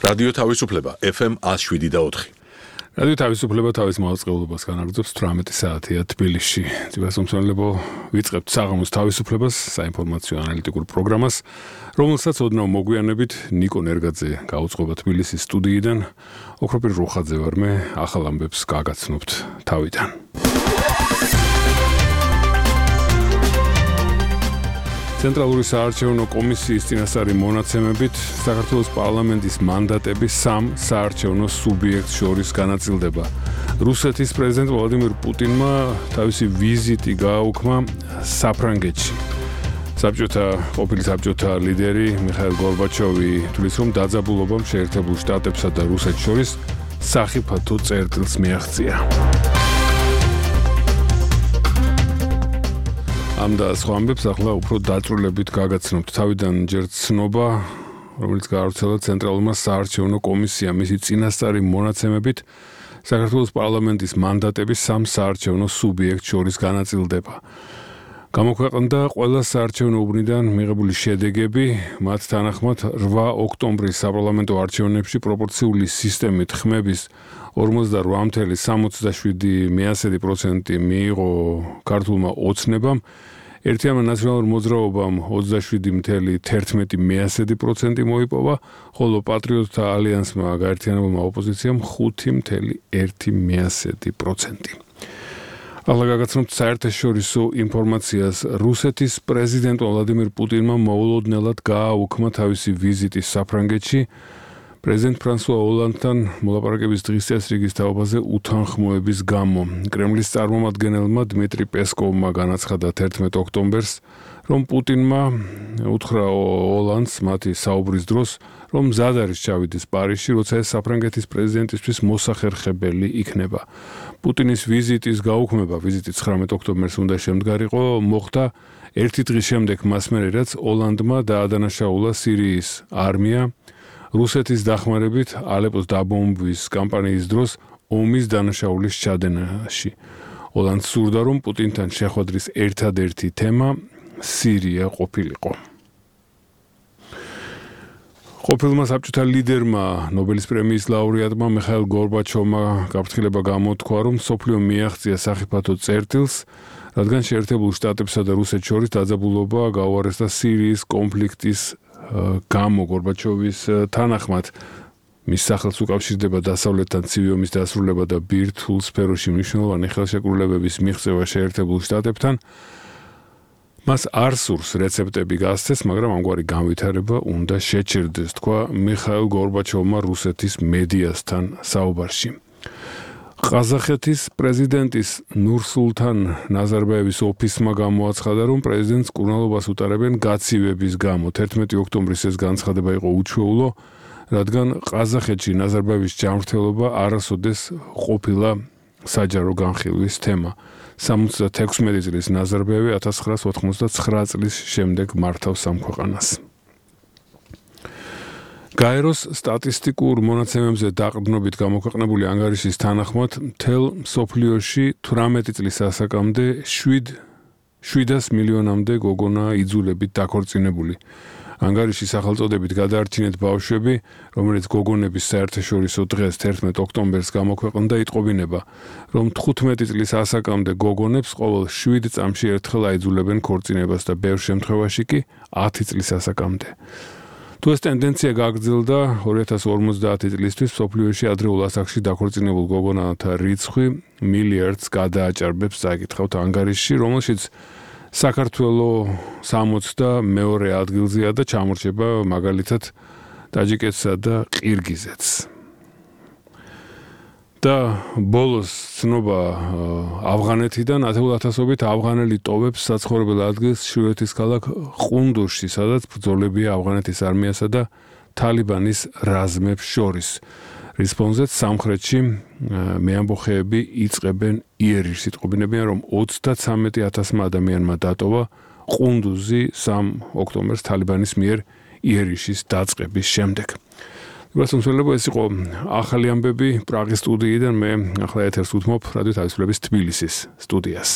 რადიო თავისუფლება FM 107.4. რადიო თავისუფლება თავის მაუწყებლობას განაგრძობს 18 საათია თბილისში. ძვირადღირებო ვიწყებთ საღამოს თავისუფლებას, საინფორმაციო ანალიტიკურ პროგრამას, რომელსაც ოდნავ მოგვიანებით ნიკო ნერგაძე გაუძღვება თბილისის სტუდიიდან. ოქროპირ რუხაძე ვარ მე, ახალ ამბებს გაგაცნობთ თავიდან. ცენტრალური საარჩევნო კომისიის წინასწარი მონაცემებით საქართველოს პარლამენტის მანდატები სამ საარჩევნო სუბიექტს შორის განაწილდება. რუსეთის პრეზიდენტ ვლადიმირ პუტინმა თავისი ვიზიტი გააუქმა საფრანგეთში. ყოფილი საბჭოთა ლიდერი მიხაილ გორბაჩოვი თვლის, რომ დაძაბულობამ შეერთებულ შტატებსა და რუსეთს შორის სახიფათო წერტილს მიაღწია. ამ და სხვა ამბებს ახლა უფრო დაწვრილებით გაგაცნობთ. თავიდან ჯერ ცნობა, რომელიც გაავრცელა ცენტრალურმა საარჩევნო კომისიამ, მისი წინასწარი მონაცემებით საქართველოს პარლამენტის მანდატები სამ საარჩევნო სუბიექტს შორის განაწილდება. გამოქვეყნდა ყველა საარჩევნო უბნიდან მიღებული შედეგები, მათ თანახმად 8 ოქტომბრის საპარლამენტო არჩევნებში პროპორციული სისტემით ხმების 48,67% მიიღო ქართულმა ოცნებამ, ერთიანმა ნაციონალურ მოძრაობამ 27,11% მოიპოვა, ხოლო პატრიოტთა ალიანსმა გაერთიანებულმა ოპოზიციამ 5,1%. ახლა გაგაცნობთ საერთაშორისო ინფორმაციას. რუსეთის პრეზიდენტ ვლადიმირ პუტინმა მოულოდნელად გააუქმა თავისი ვიზიტი საფრანგეთში. პრეზიდენტ ფრანსუა ოლანდთან მოლაპარაკების დღის წესრიგის თაობაზე უთანხმოების გამო. კრემლის წარმომადგენელმა დმიტრი პესკოვმა განაცხადა 11 ოქტომბერს, რომ პუტინმა უთხრა ოლანდს მათი საუბრის დროს, რომ მზად არის ჩავიდეს პარიზში, როცა ეს საფრანგეთის პრეზიდენტისთვის მოსახერხებელი იქნება. პუტინის ვიზიტის გაუქმება, ვიზიტი 19 ოქტომბერს უნდა შემდგარიყო, მოხდა ერთი დღის შემდეგ მას მერე, რაც ოლანდმა დაადანაშაულა სირიის არმია რუსეთის დახმარებით ალეპოს დაბომბვის კამპანიის დროს ომის დანაშაულის ჩადენაში. ოლანდს სურდა, რომ პუტინთან შეხვედრის ერთადერთი თემა სირია ყოფილიყო. ყოფილმა საბჭოთა ლიდერმა, ნობელის პრემიის ლაურეატმა მიხაილ გორბაჩოვმა გაფრთხილება გამოთქვა, რომ მსოფლიო მიაღწია სახიფათო წერტილს, რადგან შეერთებულ შტატებსა და რუსეთს შორის დაძაბულობა გაუარესდა სირიის კონფლიქტის გამო. გორბაჩოვის თანახმად მის სახელს უკავშირდება დასავლეთთან ცივი ომის დასრულება და ბირთვულ სფეროში მნიშვნელოვანი ხელშეკრულებების მიღწევა შეერთებულ შტატებთან. მას არ სურს რეცეპტები გასცეს, მაგრამ ამგვარი განვითარება უნდა შეჩერდეს, თქვა მიხაილ გორბაჩოვმა რუსეთის მედიასთან საუბარში. ყაზახეთის პრეზიდენტის ნურსულთან ნაზარბაევის ოფისმა გამოაცხადა, რომ პრეზიდენტს კურნალობას უტარებენ გაცივების გამო. 11 ოქტომბრის ეს განცხადება იყო უჩვეულო, რადგან ყაზახეთში ნაზარბაევის ჯანმრთელობა არასოდეს ყოფილა საჯარო განხილვის თემა. 76 წლის ნაზარბაევი 1989 წლის შემდეგ მართავს ამ ქვეყანას. გაეროს სტატისტიკურ მონაცემებზე დაყრდნობით გამოქვეყნებული ანგარიშის თანახმად, მთელ მსოფლიოში 18 წლის ასაკამდე 700 მილიონამდე გოგონა იძულებით დაქორწინებული. ანგარიშის სახელწოდებით გადაარჩინეთ ბავშვები, რომელიც გოგონების საერთაშორისო დღეს 11 ოქტომბერს გამოქვეყნდა, იტყობინება, რომ 15 წლის ასაკამდე გოგონებს ყოველ 7 წამში ერთხელ აიძულებენ ქორწინებას და ბევრ შემთხვევაში კი 10 წლის ასაკამდე. თუ ეს ტენდენცია გაგრძელდა, 2050 წლისთვის მსოფლიოში ადრეულ ასაკში დაქორწინებულ გოგონათა რიცხვი მილიარდს გადააჭარბებს, წაიკითხავთ ანგარიშში, რომელშიც საქართველო 62 ადგილზეა და ჩამორჩება მაგალითად ტაჯიკეთსა და ყირგიზეთს. და ბოლოს ცნობა ავღანეთიდან 10,000-ობით ავღანელი ტოვებს საცხოვრებელ ადგილს შვედეთის ქალაქ ყუნდურში, სადაც ბრძოლებია ავღანეთის არმიასა და თალიბანის რაზმებს შორის. რის ფონზეც სამხრეთში მეამბოხეები იწყებენ იერიშს. იტყობინებიან, რომ 33,000 ადამიანმა დატოვა ყუნდუზი 3 ოქტომბერს თალიბანის მიერ იერიშის დაწყების შემდეგ. გასულწოდებო ეს იყო ახალი ამბები პრაღის სტუდიიდან. მე ახლა ეთერს უთმობ რადიო თავისუფლების თბილისის სტუდიას.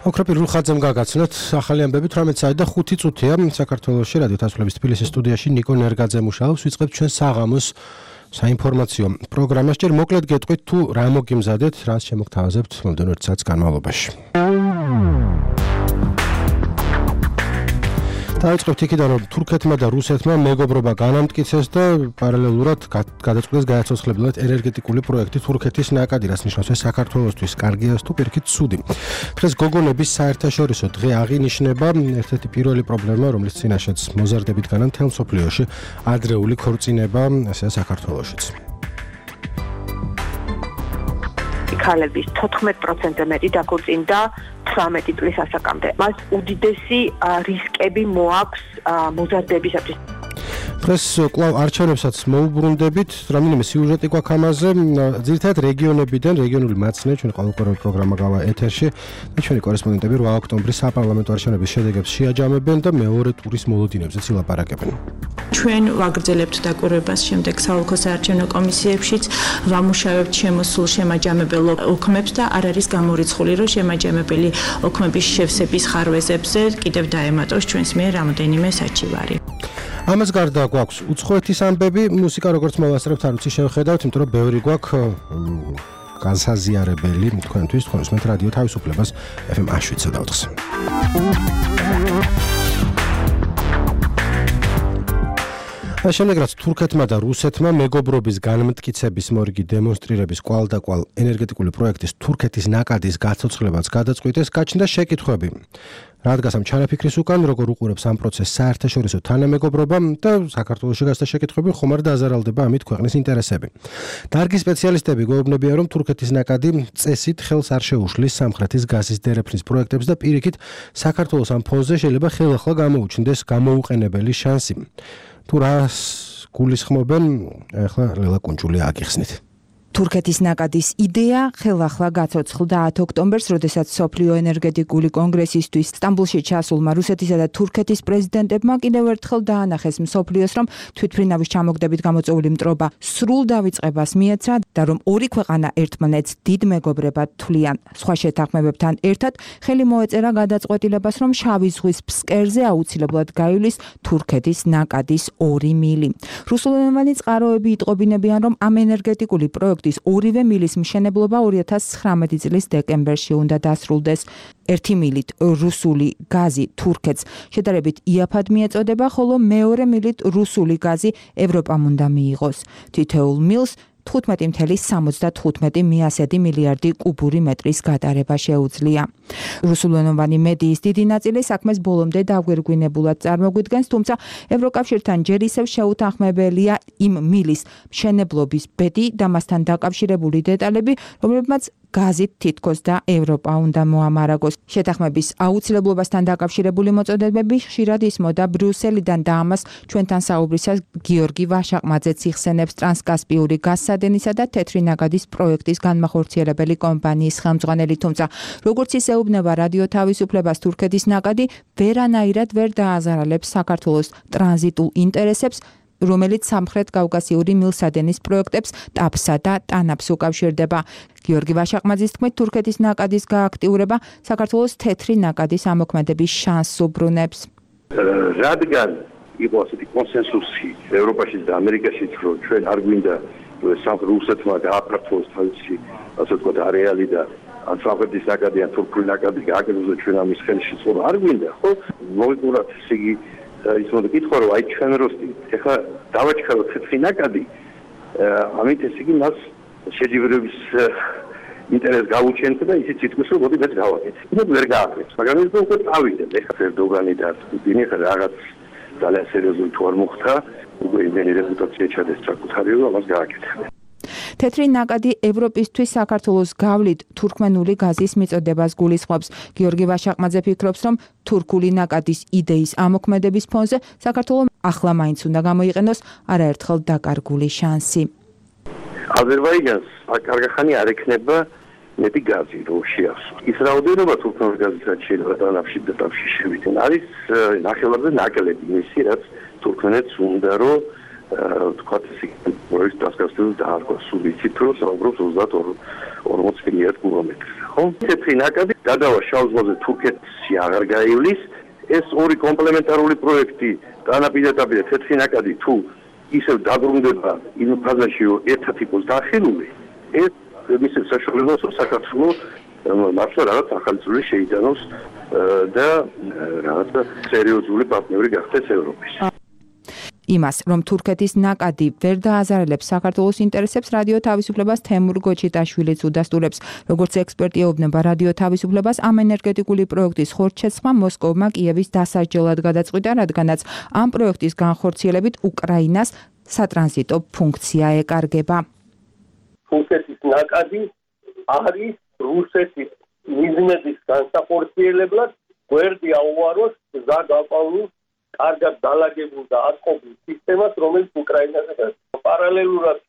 ოქროპირ რუხაძემ გაგაცნოთ ახალი ამბები 18 საათი და 5 წუთია საქართველოში რადიო თასვლების თბილისის სტუდიაში ნიკო ნერგაძე მუშაობს ვიწყებთ ჩვენ საღამოს საინფორმაციო პროგრამას ჯერ მოკლედ გეტყვით თუ რა მოგიმზადეთ რას შემოგთავაზებთ მომდევნო 1 საათის განმავლობაში დაიწყებთ იქიდან რომ თურქეთმა და რუსეთმა მეგობრობა განამტკიცეს და პარალელურად გადაწყვიტეს გააცოცხლებლად ენერგეტიკული პროექტი თურქეთის ნაკადი, რაც ნიშნავს ეს საქართველოსთვის კარგია თუ პირიქით ცუდი. დღეს გოგონების საერთაშორისო დღე აღინიშნება ერთ-ერთი პირველი პრობლემა, რომლის წინაშეც მოზარდებით განა მთელ მსოფლიოში ადრეული ქორწინება, ესეა საქართველოშიც. ქალების 14% მეტი დაქორწინდა 18 წლის ასაკამდე. მას უდიდესი რისკები მოაქვს მოზარდებისათვის. დღეს კვლავ არჩევნებსაც მოუბრუნდებით, რამდენიმე სიუჟეტი გვაქვს ამაზე, ძირითადად რეგიონებიდან, რეგიონული მაცნე, ჩვენ ყოველკვირეული პროგრამა გავა ეთერში და ჩვენი კორესპონდენტები 8 ოქტომბრის საპარლამენტო არჩევნების შედეგებს შეაჯამებენ და მეორე ტურის მოლოდინებზეც ილაპარაკებენ. ჩვენ ვაგრძელებთ დაკვირვებას შემდეგ საოლქო საარჩევნო კომისიებშიც, ვამუშავებთ შემოსულ შემაჯამებელ ოქმებს და არ არის გამორიცხული, რომ შემაჯამებელი ოქმების შევსების ხარვეზებზე კიდევ დაემატოს ჩვენს მიერ რამოდენიმე საჩივარი. ამას გარდა გვაქვს უცხოეთის ამბები, მუსიკა როგორც მოვასწრებთ არ ვიცი შევხედავთ, იმიტომ რომ ბევრი გვაქვს განსაზიარებელი თქვენთვის, თქვენ უსმენთ რადიო თავისუფლებას FM 107.4. შემდეგ რაც თურქეთმა და რუსეთმა მეგობრობის განმტკიცების მორიგი დემონსტრირების კვალდაკვალ ენერგეტიკული პროექტის თურქეთის ნაკადის გაცოცხლებაც გადაწყვიტეს, გაჩნდა შეკითხვები. რა დგას ამ ჩანაფიქრის უკან, როგორ უყურებს ამ პროცესს საერთაშორისო თანამეგობრობა და საქართველოში გასდა შეკითხვები, ხომ არ დაზარალდება ამით ქვეყნის ინტერესები. დარგის სპეციალისტები გვეუბნებიან, რომ თურქეთის ნაკადი წესით ხელს არ შეუშლის სამხრეთის გაზის დერეფნის პროექტებს და პირიქით საქართველოს ამ ფონზე შეიძლება ხელახლა გამოუჩნდეს გამოუყენებელი შანსი. თუ რას გულისხმობენ, ახლა ლელა კუნჭული აგიხსნით. თურქეთის ნაკადის იდეა ხელახლა გაცოცხლდა 10 ოქტომბერს, როდესაც სოფლიო ენერგეტიკული კონგრესისთვის სტამბოლში ჩასულმა რუსეთისა და თურქეთის პრეზიდენტებმა კიდევ ერთხელ დაანახეს მსოფლიოს, რომ თვითმფრინავის ჩამოგდებით გამოწვეული მტრობა სრულ დავიწყებას მიეცრა და რომ ორი ქვეყანა ერთმანეთს დიდ მეგობრებად თვლიან. სხვა შეთანხმებებთან ერთად ხელი მოეწერა გადაწყვეტილებას, რომ შავი ზღვის ფსკერზე აუცილებლად გაივლის თურქეთის ნაკადის 2 მილი. რუსულენოვანი წყაროები იტყობინებიან, რომ ამ ენერგეტიკული პროექტი ორივე მილის მშენებლობა 2019 წლის დეკემბერში უნდა დასრულდეს. 1 მილით რუსული გაზი თურქეთს შედარებით იაფად მიეწოდება, ხოლო მეორე მილით რუსული გაზი ევროპამ უნდა მიიღოს. თითოეულ მილს 15.75 მილიარდი კუბური მეტრის გატარება შეუძლია. რუსულენოვანი მედიის დიდი ნაწილი საქმეს ბოლომდე დაგვირგვინებულად წარმოგვიდგენს, თუმცა ევროკავშირთან ჯერ ისევ შეუთანხმებელია იმ მილის მშენებლობის ბედი და მასთან დაკავშირებული დეტალები, რომლებმაც გაზით თითქოს და ევროპა უნდა მოამარაგოს. შეთანხმების აუცილებლობასთან დაკავშირებული მოწოდებები ხშირად ისმოდა ბრიუსელიდან და ამას ჩვენთან საუბრისას გიორგი ვაშაყმაძეც იხსენებს ტრანსკასპიური გაზსადენისა და თეთრი ნაკადის პროექტის განმახორციელებელი კომპანიის ხელმძღვანელი, თუმცა როგორც ისეუბნება რადიო თავისუფლებას, თურქეთის ნაკადი ვერანაირად ვერ დააზარალებს საქართველოს ტრანზიტულ ინტერესებს, რომელიც სამხრეთ კავკასიური მილსადენის პროექტებს ტაფსა და ტანაფს უკავშირდება. გიორგი ვაშაყმაძის თქმით, თურქეთის ნაკადის გააქტიურება საქართველოს თეთრი ნაკადის ამოქმედების შანსს უბრუნებს. რადგან იყო ასეთი კონსენსუსი ევროპაშიც და ამერიკაშიც, რომ ჩვენ არ გვინდა რუსეთმა გააფართოვოს თავისი, ასე ვთქვათ, არეალი და ან სამხრეთის ნაკადი ან თურქული ნაკადი გააკეთოს ჩვენ ამის ხელში ცხოვრება არ გვინდა, ხო? მოვიყურათ ესე იგი ის მოდი კითხვა რომ აი ჩვენ როსტი ეხლა დავაჩქაროთ თეთრი ნაკადი ამით ესე იგი მას შეჯიბრების ინტერესს გავუჩენთ და ისიც ითქვის რომ მოდი მეც გავაკეთე. ისე ვერ გააკეთე, მაგრამ ის უკვე წავიდნენ ეხლა ერდოგანი და პუტინი ხა რაღაც ძალიან სერიოზული თუ არ მოხდა, უკვე იმენი რეპუტაცია ჩადეს საკუთარი რომ ამას გააკეთებენ. თეთრი ნაკადი ევროპისთვის საქართველოს გავლით თურქმენული გაზის მიწოდებას გულისხმობს. გიორგი ვაშაყმაძე ფიქრობს, რომ თურქული ნაკადის იდეის ამოქმედების ფონზე საქართველოს ახლა მაინც უნდა გამოიყენოს არაერთხელ დაკარგული შანსი. აზერბაიჯანს კარგახანი არ ექნება მეტი გაზი რო შეასრულოს. ის რაოდენობა თურქეთის გაზისაც შეიძლება დანაფში და ტაფში შევიდნენ. არის ნახევარზე ნაკლები მისი, რაც თურქმენეთს უნდა რომ თქვათ ისე პროექტს დასკასტილს დაარქვა სულ იცით რომ საუბრობს 40 მილიარდ კუბომეტრს. ხო? თეთრი ნაკადი გადავა შავ ზღვაზე თურქეთში აღარ გაივლის. ეს ორი კომპლემენტარული პროექტი დანაპირდაპირე თეთრი ნაკადი თუ ისევ დაბრუნდება იმ ფაზაში ერთად იყოს დახელული, ეს მისცემს საშუალებას რომ საქართველოს მართლა რაღაც ახალი წვლილი შეიტანოს და რაღაც სერიოზული პარტნიორი გახდეს ევროპის. იმას, რომ თურქეთის ნაკადი ვერ დააზარალებს საქართველოს ინტერესებს, რადიო თავისუფლებას თემურ გოჩიტაშვილიც უდასტურებს. როგორც ექსპერტი ეუბნება რადიო თავისუფლებას, ამ ენერგეტიკული პროექტის ხორცშესხმა მოსკოვმა კიევის დასაჯელად გადაწყვიტა, რადგანაც ამ პროექტის განხორციელებით უკრაინას სატრანზიტო ფუნქცია ეკარგება. თურქეთის ნაკადი არის რუსეთის მიზნების განსახორციელებლად გვერდი აუაროს გზა გაყვანილ კარგად დალაგებულ და აწყობილ სისტემას, რომელიც უკრაინაზე პარალელურად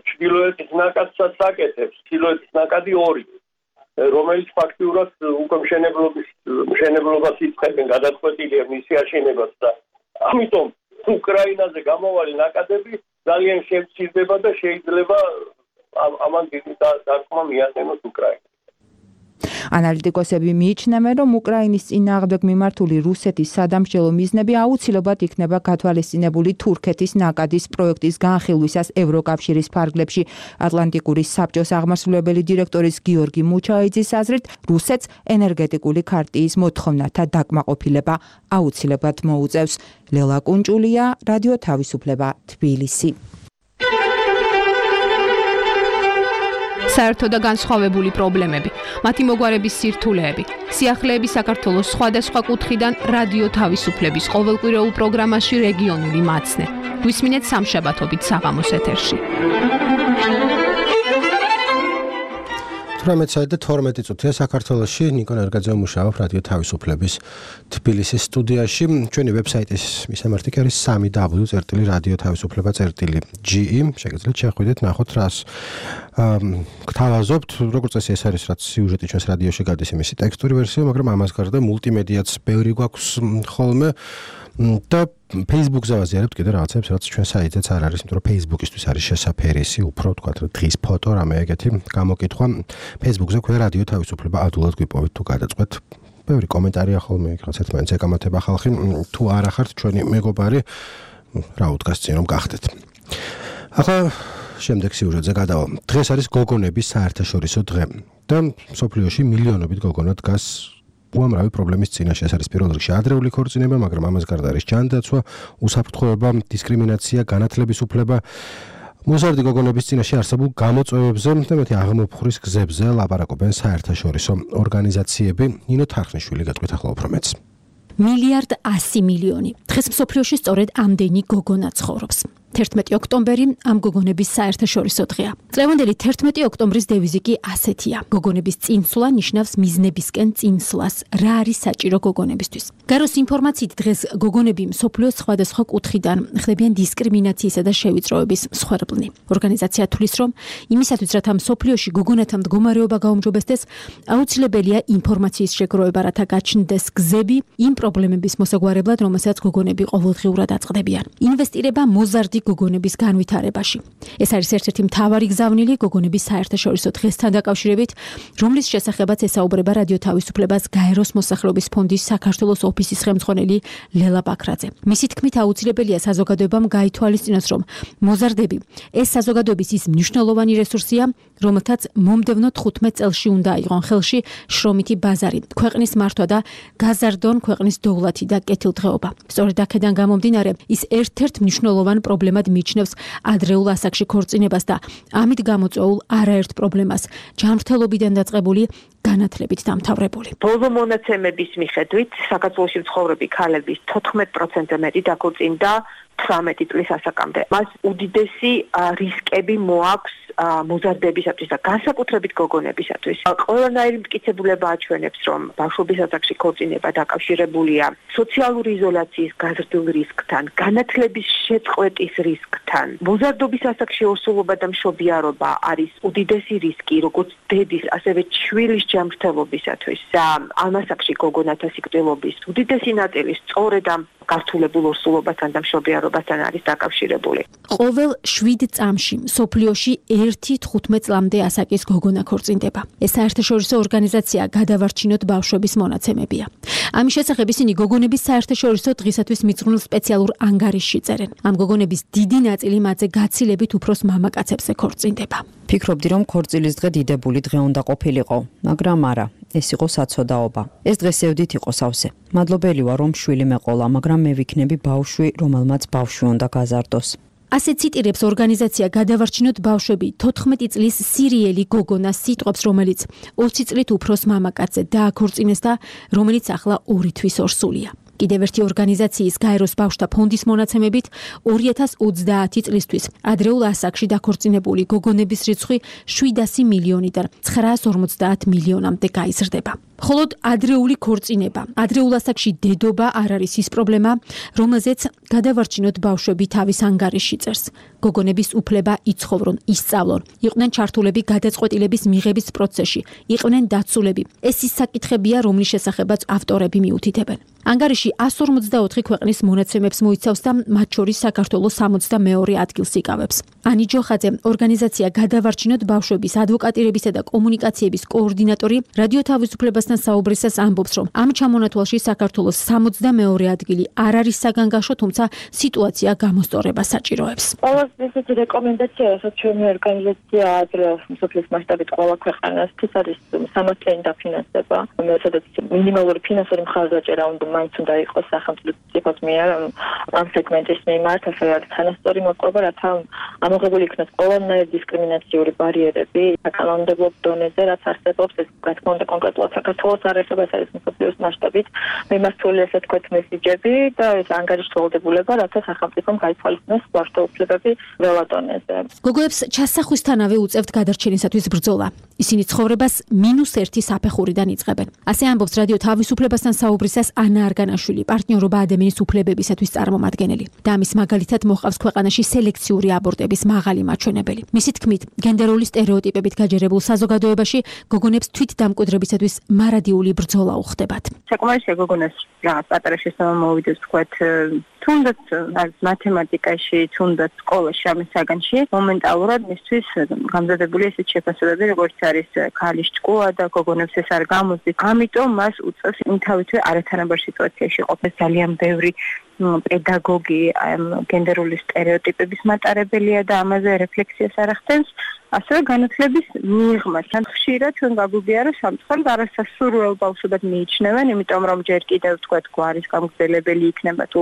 ჩრდილოეთის ნაკადსაც აკეთებს. ჩრდილოეთის ნაკადი 2, რომელიც ფაქტიურად უკვე მშენებლობას იწყებენ, გადაწყვეტილია მისი აშენებაც და ამიტომ უკრაინაზე გამოვალი ნაკადები ძალიან შემცირდება და შეიძლება ამან დიდი დარტყმა მიაყენოს უკრაინას. ანალიტიკოსები მიიჩნევენ, რომ უკრაინის წინააღმდეგ მიმართული რუსეთის სადამსჯელო მიზნები აუცილებლად იქნება გათვალისწინებული თურქეთის ნაკადის პროექტის განხილვისას ევროკავშირის ფარგლებში. ატლანტიკური საბჭოს აღმასრულებელი დირექტორის გიორგი მუჩაიძის აზრით, რუსეთს ენერგეტიკული ქარტიის მოთხოვნათა დაკმაყოფილება აუცილებლად მოუწევს. ლელა კუნჭულია, რადიო თავისუფლება, თბილისი. საერთო და განსხვავებული პრობლემები, მათი მოგვარების სირთულეები, სიახლეები საქართველოს სხვადასხვა კუთხიდან რადიო თავისუფლების ყოველკვირეულ პროგრამაში რეგიონული მაცნე. გვისმინეთ სამშაბათობით საღამოს ეთერში. 18:12 საქართველოში ნიკო ნერგაძე მუშაობს რადიო თავისუფლების თბილისის სტუდიაში. ჩვენი ვებსაიტის მისამართი კი არის www.radiotavisufleba.ge. შეგიძლიათ შეხვიდეთ, ნახოთ რას გთავაზობთ. როგორც წესი ეს არის რაც სიუჟეტი ჩვენს რადიოში გადის იმისი ტექსტური ვერსია, მაგრამ ამას გარდა მულტიმედიაც ბევრი გვაქვს ხოლმე. და Facebook-ზე ვაზიარებთ კიდე რაღაცებს, რაც ჩვენ საიტზეც არ არის, იმიტომ რომ Facebook-ისთვის არის შესაფერისი, უფრო თქვათ დღის ფოტო, რამე ეგეთი გამოკითხვა. Facebook-ზე ქვია რადიო თავისუფლება, ადვილად გვიპოვეთ თუ გადაწყვეტ. ბევრი კომენტარია ხოლმე, რაღაც ერთმანეთს ეკამათება ხალხი, თუ არ ახართ ჩვენი მეგობარი, რა უდგას წინ რომ გახდეთ. ახლა შემდეგ სიუჟეტზე გადავალ. დღეს არის გოგონების საერთაშორისო დღე და მსოფლიოში მილიონობით გოგონა დგას უამრავი პრობლემის წინაშე. ეს არის პირველ რიგში ადრეული ქორწინება, მაგრამ ამას გარდა არის ჯანდაცვა, უსაფრთხოება, დისკრიმინაცია, განათლების უფლება. მოზარდი გოგონების წინაშე არსებულ გამოწვევებზე და მეტი აღმოფხრის გზებზე ლაპარაკობენ საერთაშორისო ორგანიზაციები. ნინო თარხნიშვილი გაწყვეტ ახლა უფრო მეც. 1.1 მილიარდი. დღეს მსოფლიოში სწორედ ამდენი გოგონა ცხოვრობს. 11 ოქტომბერი ამ გოგონების საერთაშორისო დღეა. წლევანდელი 11 ოქტომბრის დევიზი კი ასეთია. გოგონების წინსვლა ნიშნავს მიზნებისკენ წინსვლას. რა არის საჭირო გოგონებისთვის? გაროს ინფორმაციით დღეს გოგონები მსოფლიოს სხვადასხვა კუთხიდან ხდებიან დისკრიმინაციისა და შევიწროების მსხვერპლნი. ორგანიზაცია თვლის, რომ იმისათვის, რათა მსოფლიოში გოგონათა მდგომარეობა გაუმჯობესდეს, აუცილებელია ინფორმაციის შეგროვება, რათა გაჩნდეს გზები იმ პრობლემების მოსაგვარებლად, რომელსაც გოგონები ყოველდღიურად აწყდებიან. ინვესტირება მოზარდი გოგონების განვითარებაში. ეს არის ერთ-ერთი მთავარი გზავნილი გოგონების საერთაშორისო დღესთან დაკავშირებით, რომლის შესახებაც ესაუბრება რადიო თავისუფლებას გაეროს მოსახლეობის ფონდის საქართველოს ოფისის ხელმძღვანელი ლელა ბაქრაძე. მისი თქმით, აუცილებელია საზოგადოებამ გაითვალისწინოს, რომ მოზარდები ეს საზოგადოების ის მნიშვნელოვანი რესურსია, რომელთაც მომდევნო 15 წელში უნდა აიღონ ხელში შრომითი ბაზარი, ქვეყნის მართვა და გაზარდონ ქვეყნის დოვლათი და კეთილდღეობა. სწორედ აქედან გამომდინარე, ის ერთ-ერთ მნიშვნელოვან პრობლემად მიიჩნევს ადრეულ ასაკში ქორწინებას და ამით გამოწვეულ არაერთ პრობლემას, ჯანმრთელობიდან დაწყებული განათლებით დამთავრებული. ბოლო მონაცემების მიხედვით, საქართველოში მცხოვრები ქალების 14% მეტი დაქორწინდა 18 წლის ასაკამდე. მას უდიდესი რისკები მოაქვს მოზარდებისათვის და განსაკუთრებით გოგონებისათვის. ყველანაირი მტკიცებულება აჩვენებს, რომ ბავშვობის ასაკში ქორწინება დაკავშირებულია სოციალური იზოლაციის გაზრდილ რისკთან, განათლების შეწყვეტის რისკთან. მოზარდობის ასაკში ორსულობა და მშობიარობა არის უდიდესი რისკი, როგორც დედის, ასევე შვილის ჯანმრთელობისათვის. და ამ ასაკში გოგონათა სიკვდილობის უდიდესი ნაწილი სწორედ ამ გართულებულ ორსულობასთან და მშობიარობასთან არის დაკავშირებული. ყოველ 7 წამში მსოფლიოში 1-15 წლამდე ასაკის გოგონა ქორწინდება. ეს საერთაშორისო ორგანიზაცია გადავარჩინოთ ბავშვების მონაცემებია. ამის შესახებ ისინი გოგონების საერთაშორისო დღისათვის მიძღვნილ სპეციალურ ანგარიშში წერენ. ამ გოგონების დიდი ნაწილი მათზე გაცილებით უფროს მამაკაცებზე ქორწინდება. ფიქრობდი, რომ ქორწილის დღე დიდებული დღე უნდა ყოფილიყო, მაგრამ არა, ეს იყო საცოდაობა. ეს დღე სევდით იყო სავსე. მადლობელი ვარ, რომ შვილი მეყოლა, მაგრამ მე ვიქნები ბავშვი, რომელმაც ბავშვი უნდა გაზარდოს. ასე ციტირებს ორგანიზაცია გადავარჩინოთ ბავშვები 14 წლის სირიელი გოგონა სიტყვებს, რომელიც 20 წლით უფროს მამაკაცზე დააქორწინეს და რომელიც ახლა 2 თვის ორსულია. კიდევ ერთი ორგანიზაციის გაეროს ბავშვთა ფონდის მონაცემებით 2030 წლისთვის ადრეულ ასაკში დაქორწინებული გოგონების რიცხვი 700 მილიონიდან 950 მილიონამდე გაიზრდება. მხოლოდ ადრეული ქორწინება, ადრეულ ასაკში დედობა არ არის ის პრობლემა, რომელზეც გადავარჩინოთ ბავშვები თავის ანგარიშში წერს. გოგონების უფლება იცხოვრონ, ისწავლონ, იყვნენ ჩართულები გადაწყვეტილების მიღების პროცესში, იყვნენ დაცულები. ეს ის საკითხებია, რომლის შესახებაც ავტორები მიუთითებენ. ანგარიში 154 ქვეყნის მონაცემებს მოიცავს და მათ შორის საქართველოს 62 ადგილს იკავებს. ანი ჯოხაძე, ორგანიზაცია გადავარჩინოთ ბავშვების ადვოკატირებისა და კომუნიკაციების კოორდინატორი, რადიო თავისუფლებასთან საუბრისას ამბობს, რომ ამ ჩამონათვალში საქართველოს 62 ადგილი არ არის საგანგაშო, თუმცა სიტუაცია გამოსწორებას საჭიროებს. ეს რეკომენდაცია, რასაც ჩვენი ორგანიზაცია აძლევს მსოფლიოს მასშტაბით ყველა ქვეყანას, ის არის სამართლიანი დაფინანსება, სადაც მინიმალური ფინანსური მხარდაჭერა მაინც უნდა იყოს სახელმწიფოს მიერ ამ სეგმენტის მიმართ, ასე რომ თანასწორი მოპყრობა, რათა ამოღებული იქნას ყველანაირი დისკრიმინაციული ბარიერები საკანონმდებლო დონეზე, რაც არსებობს, ეს რა თქმა უნდა კონკრეტულად საქართველოს არ ეხება, ეს არის მსოფლიოს მასშტაბით მიმართული, ასე თქვით, მესიჯები და ეს ანგარიშის ვალდებულება, რათა სახელმწიფომ გაითვალისწინოს ბავშვთა უფლებები ყველა დონეზე. გოგოებს ჩასახვისთანავე უწევთ გადარჩენისათვის ბრძოლა. ისინი ცხოვრებას -1 საფეხურიდან იწყებენ. ასე ამბობს რადიო თავისუფლებასთან საუბრისას ანა არგანაშვილი, პარტნიორობა ადამიანის უფლებებისათვის წარმომადგენელი. და ამის მაგალითად მოყავს ქვეყანაში სელექციური აბორტების მაღალი მაჩვენებელი. მისი თქმით, გენდერული სტერეოტიპებით გაჯერებულ საზოგადოებაში გოგონებს თვითდამკვიდრებისათვის მარადიული ბრძოლა უხდებათ. საკმარისია გოგონას რაღაც პატარა შესაძლებლობა მოვიდეს, თქვათ, თუნდაც მათემატიკაში, თუნდაც სკოლაში, ამის საგანში, მომენტალურად მისთვის გამზადებული ესეთ შეფასებები, როგორც არის ქალის ჭკუა და გოგონებს ეს არ გამოსდის. ამიტომ მას უწევს იმთავითვე არათანაბარ სიტუაციაში ყოფნა. ძალიან ბევრი პედაგოგი გენდერული სტერეოტიპების მატარებელია და ამაზე რეფლექსიას არ ახდენს. ასევე განათლების მიღმა. თან ხშირად ჩვენ გაგვიგია, რომ სამწუხაროდ არასასურველ ბავშვებად მიიჩნევენ, იმიტომ რომ ჯერ კიდევ თქვათ გვარის გამგზელებელი იქნება თუ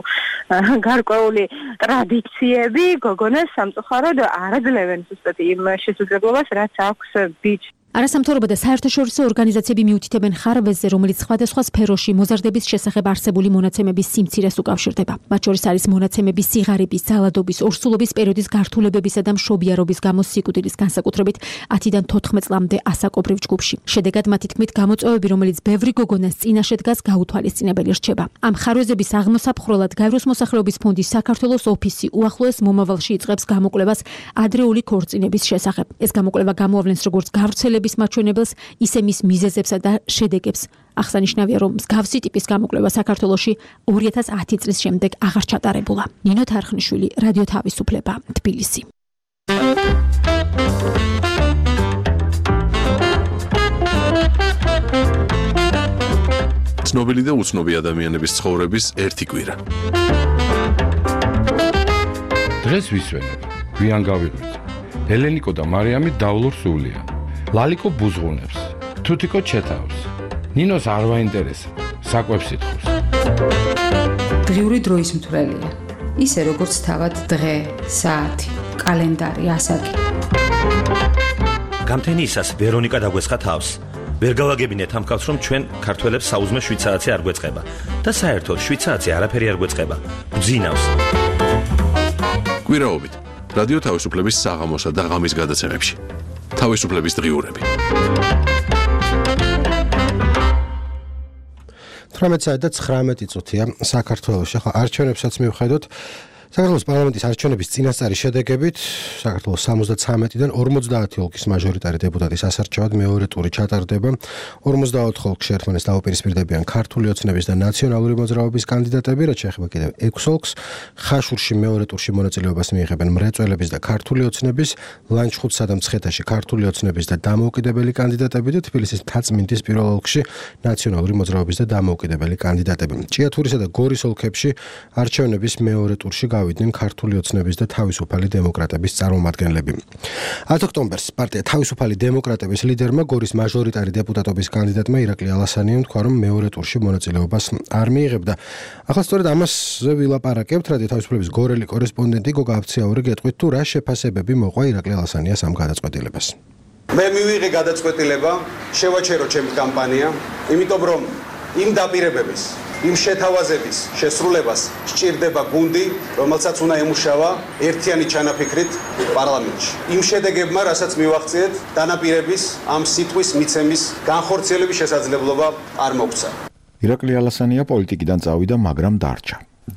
გარკვეული ტრადიციები გოგონას სამწუხაროდ არ აძლევენ ზუსტად იმ შესაძლებლობას, რაც აქვს ბიჭს. არასამთავრობო და საერთაშორისო ორგანიზაციები მიუთითებენ ხარვეზზე, რომელიც სხვადასხვა სფეროში მოზარდების შესახებ არსებული მონაცემების სიმცირეს უკავშირდება. მათ შორის არის მონაცემები სიღარიბის, ძალადობის, ორსულობის პერიოდის გართულებებისა და მშობიარობის გამო სიკვდილის, განსაკუთრებით 10-დან 14 წლამდე ასაკობრივ ჯგუფში. შედეგად მათი თქმით, გამოწვევები, რომელიც ბევრი გოგონას წინაშე დგას, გაუთვალისწინებელი რჩება. ამ ხარვეზების აღმოსაფხროლად გაეროს მოსახლეობის ფონდის საქართველოს ოფისი უახლოეს მომავალში იწყებს გამოკვლევას ადრეული ქორწინების შესახებ. ეს გამოკვლევა გამოავლენს როგორც გავრცელების მაჩვენებელს, ისე მის მიზეზებსა და შედეგებს. აღსანიშნავია, რომ მსგავსი ტიპის გამოკვლევა საქართველოში 2010 წლის შემდეგ აღარ ჩატარებულა. ნინო თარხნიშვილი, რადიო თავისუფლება, თბილისი. ცნობილი და უცნობი ადამიანების ცხოვრების ერთი კვირა. დღეს ვისვენებ, გვიან გავიღვიძე. ელენიკო და მარიამი დავლურ სულიან. ლალიკო ბუზღუნებს, თუთიკო ჩეთავს. ნინოს არ ვაინტერესებს, საკვებს ითხოვს. დღიური დროის მთვრელია. ისე როგორც თავად დღე, საათი, კალენდარი, ასაკი. გამთენიისას ვერონიკა დაგვესხა თავს. ვერ გავაგებინეთ ამ კაცს, რომ ჩვენ ქართველებს საუზმე 7 საათი არ გვეწყება და საერთოდ 7 საათი არაფერი არ გვეწყება. გძინავს. კვირაობით რადიო თავისუფლების საღამოსა და ღამის გადაცემებში. თავისუფლების დღიურები. 18 საათი და 19 წუთია საქართველოში. ახლა არჩევნებსაც მივხედოთ. საქართველოს პარლამენტის არჩევნების წინასწარი შედეგებით საქართველოს 73-დან 50 ოლქის მაჟორიტარი დეპუტატის ასარჩევად მეორე ტური ჩატარდება. 54 ოლქში ერთმანეთს დაუპირისპირდებიან ქართული ოცნების და ნაციონალური მოძრაობის კანდიდატები, რაც შეეხება კიდევ 6 ოლქს. ხაშურში მეორე ტურში მონაწილეობას მიიღებენ მრეწველების და ქართული ოცნების, ლანჩხუთსა და მცხეთაში ქართული ოცნების და დამოუკიდებელი კანდიდატები და თბილისის მთაწმინდის პირველ ოლქში ნაციონალური მოძრაობის და დამოუკიდებელი კანდიდატები. ჭიათურისა და გორის ოლქებში არჩევნების მეორე ტურში გავიდნენ ქართული ოცნების და თავისუფალი დემოკრატების წარმომადგენლები. 10 ოქტომბერს პარტია თავისუფალი დემოკრატების ლიდერმა გორის მაჟორიტარი დეპუტატობის კანდიდატმა ირაკლი ალასანიამ თქვა, რომ მეორე ტურში მონაწილეობას არ მიიღებდა. ახლა სწორედ ამაზე ვილაპარაკებთ რადიო თავისუფლების გორელი კორესპონდენტი გოგა აფციაური გეტყვით თუ რა შეფასებები მოყვა ირაკლი ალასანიას ამ გადაწყვეტილებას. მე მივიღე გადაწყვეტილება, შევაჩერო ჩემი კამპანია, იმიტომ რომ იმ დაპირებების, იმ შეთავაზების შესრულებას სჭირდება გუნდი, რომელსაც უნდა ემუშავა ერთიანი ჩანაფიქრით პარლამენტში. იმ შედეგებმა, რასაც მივაღწიეთ, დანაპირების ამ სიტყვის მიცემის განხორციელების შესაძლებლობა არ მოგვცა. ირაკლი ალასანია პოლიტიკიდან წავიდა, მაგრამ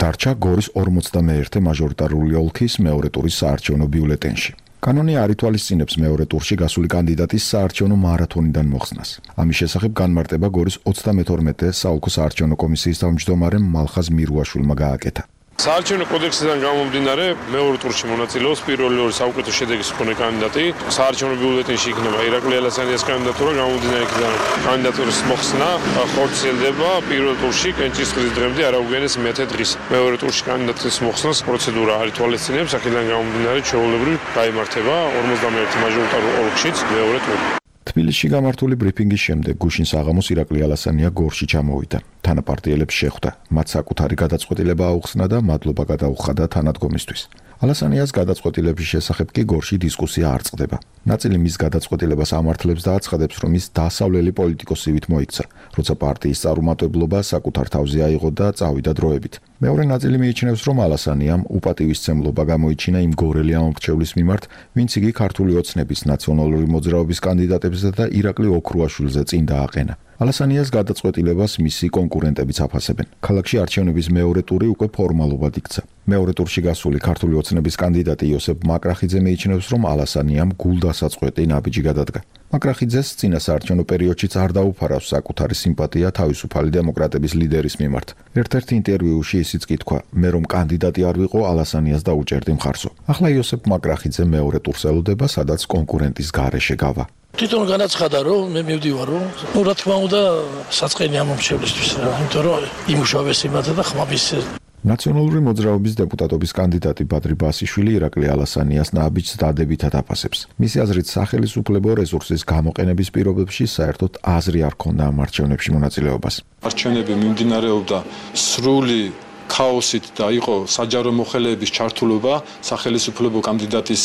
დარჩა გორის 51 მაჟორიტარული ოლქის მეორე ტურის საარჩევნო ბიულეტენში. კანონი არ ითვალისწინებს მეორე ტურში გასული კანდიდატის საარჩევნო მარათონიდან მოხსნას. ამის შესახებ განმარტება გორის 32 საოლქო საარჩევნო კომისიის თავმჯდომარემ მალხაზ მირუაშვილმა გააკეთა. საარჩევნო კოდექსიდან გამომდინარე, მეორე ტურში მონაწილეობს პირველი ორი საუკეთესო შედეგის მქონე კანდიდატი. საარჩევნო ბიულეტენში იქნება ირაკლი ალასანიას კანდიდატურა, გამომდინარე იქიდან კანდიდატურის მოხსნა ხორციელდება პირველ ტურში კენჭისყრის დღემდე არ აუგენეს მეთე დღის. მეორე ტურში კანდიდატის მოხსნას პროცედურა არ ითვალისწინებს, აქედან გამომდინარე ჩვეულებრივ გაიმართება 51 მაჟორიტარულ ოლქშიც მეორე ტური. თბილისში გამართული ბრიფინგის შემდეგ გუშინ საღამოს ირაკლი ალასანია გორში ჩამოვიდა. თანაპარტიელებს შეხვდა, მათ საკუთარი გადაწყვეტილება აუხსნა და მადლობა გადაუხადა თანადგომისთვის. ალასანიას გადაწყვეტილების შესახებ კი გორში დისკუსია არ წყდება. ნაწილი მის გადაწყვეტილებას ამართლებს და აცხადებს, რომ ის დასავლელი პოლიტიკოსივით მოიქცა, როცა პარტიის წარუმატებლობა საკუთარ თავზე აიღო და წავიდა დროებით. მეორე ნაწილი მიიჩნევს, რომ ალასანიამ უპატივისცემლობა გამოიჩინა იმ გორელი ამომრჩევლის მიმართ, ვინც იგი ქართული ოცნების ნაციონალური მოძრაობის კანდიდატებზე და ირაკლი ოქრუაშვილზე წინ დააყენა. ალასანიას გადაწყვეტილებას მისი კონკურენტებიც აფასებენ. ქალაქში არჩევნების მეორე ტური უკვე ფორმალურად იქცა. მეორე ტურში გასული ქართული ოცნების კანდიდატი იოსებ მაკრახიძე მიიჩნევს, რომ ალასანიამ გულდასაწყვეტი ნაბიჯი გადადგა. მაკრახიძეს წინა საარჩევნო პერიოდშიც არ დაუფარავს საკუთარი სიმპათია თავისუფალი დემოკრატების ლიდერის მიმართ. ერთ-ერთ ინტერვიუში ისიც კი თქვა, მე რომ კანდიდატი არ ვიყო, ალასანიას დაუჭერდი მხარსო. ახლა იოსებ მაკრახიძე მეორე ტურს ელოდება, სადაც კონკურენტის გარეშე გავა. თვითონ განაცხადა, რომ მე მივდივარ, რომ რა თქმა უნდა საწყენი ამომრჩევლისთვის რა, იმიტომ რომ იმუშავეს იმათა და ხმების ნაციონალური მოძრაობის დეპუტატობის კანდიდატი ბადრი ბასიშვილი ირაკლი ალასანიას ნაბიჯს დადებითად აფასებს. მისი აზრით, სახელმწიფო რესურსის გამოყენების პირობებში საერთოდ აზრი არ ქონდა ამ არჩევნებში მონაწილეობას. არჩევნები მიმდინარეობდა სრული ქაოსით და იყო საჯარო მოხელეების ჩართულობა სახელმწიფო კანდიდატის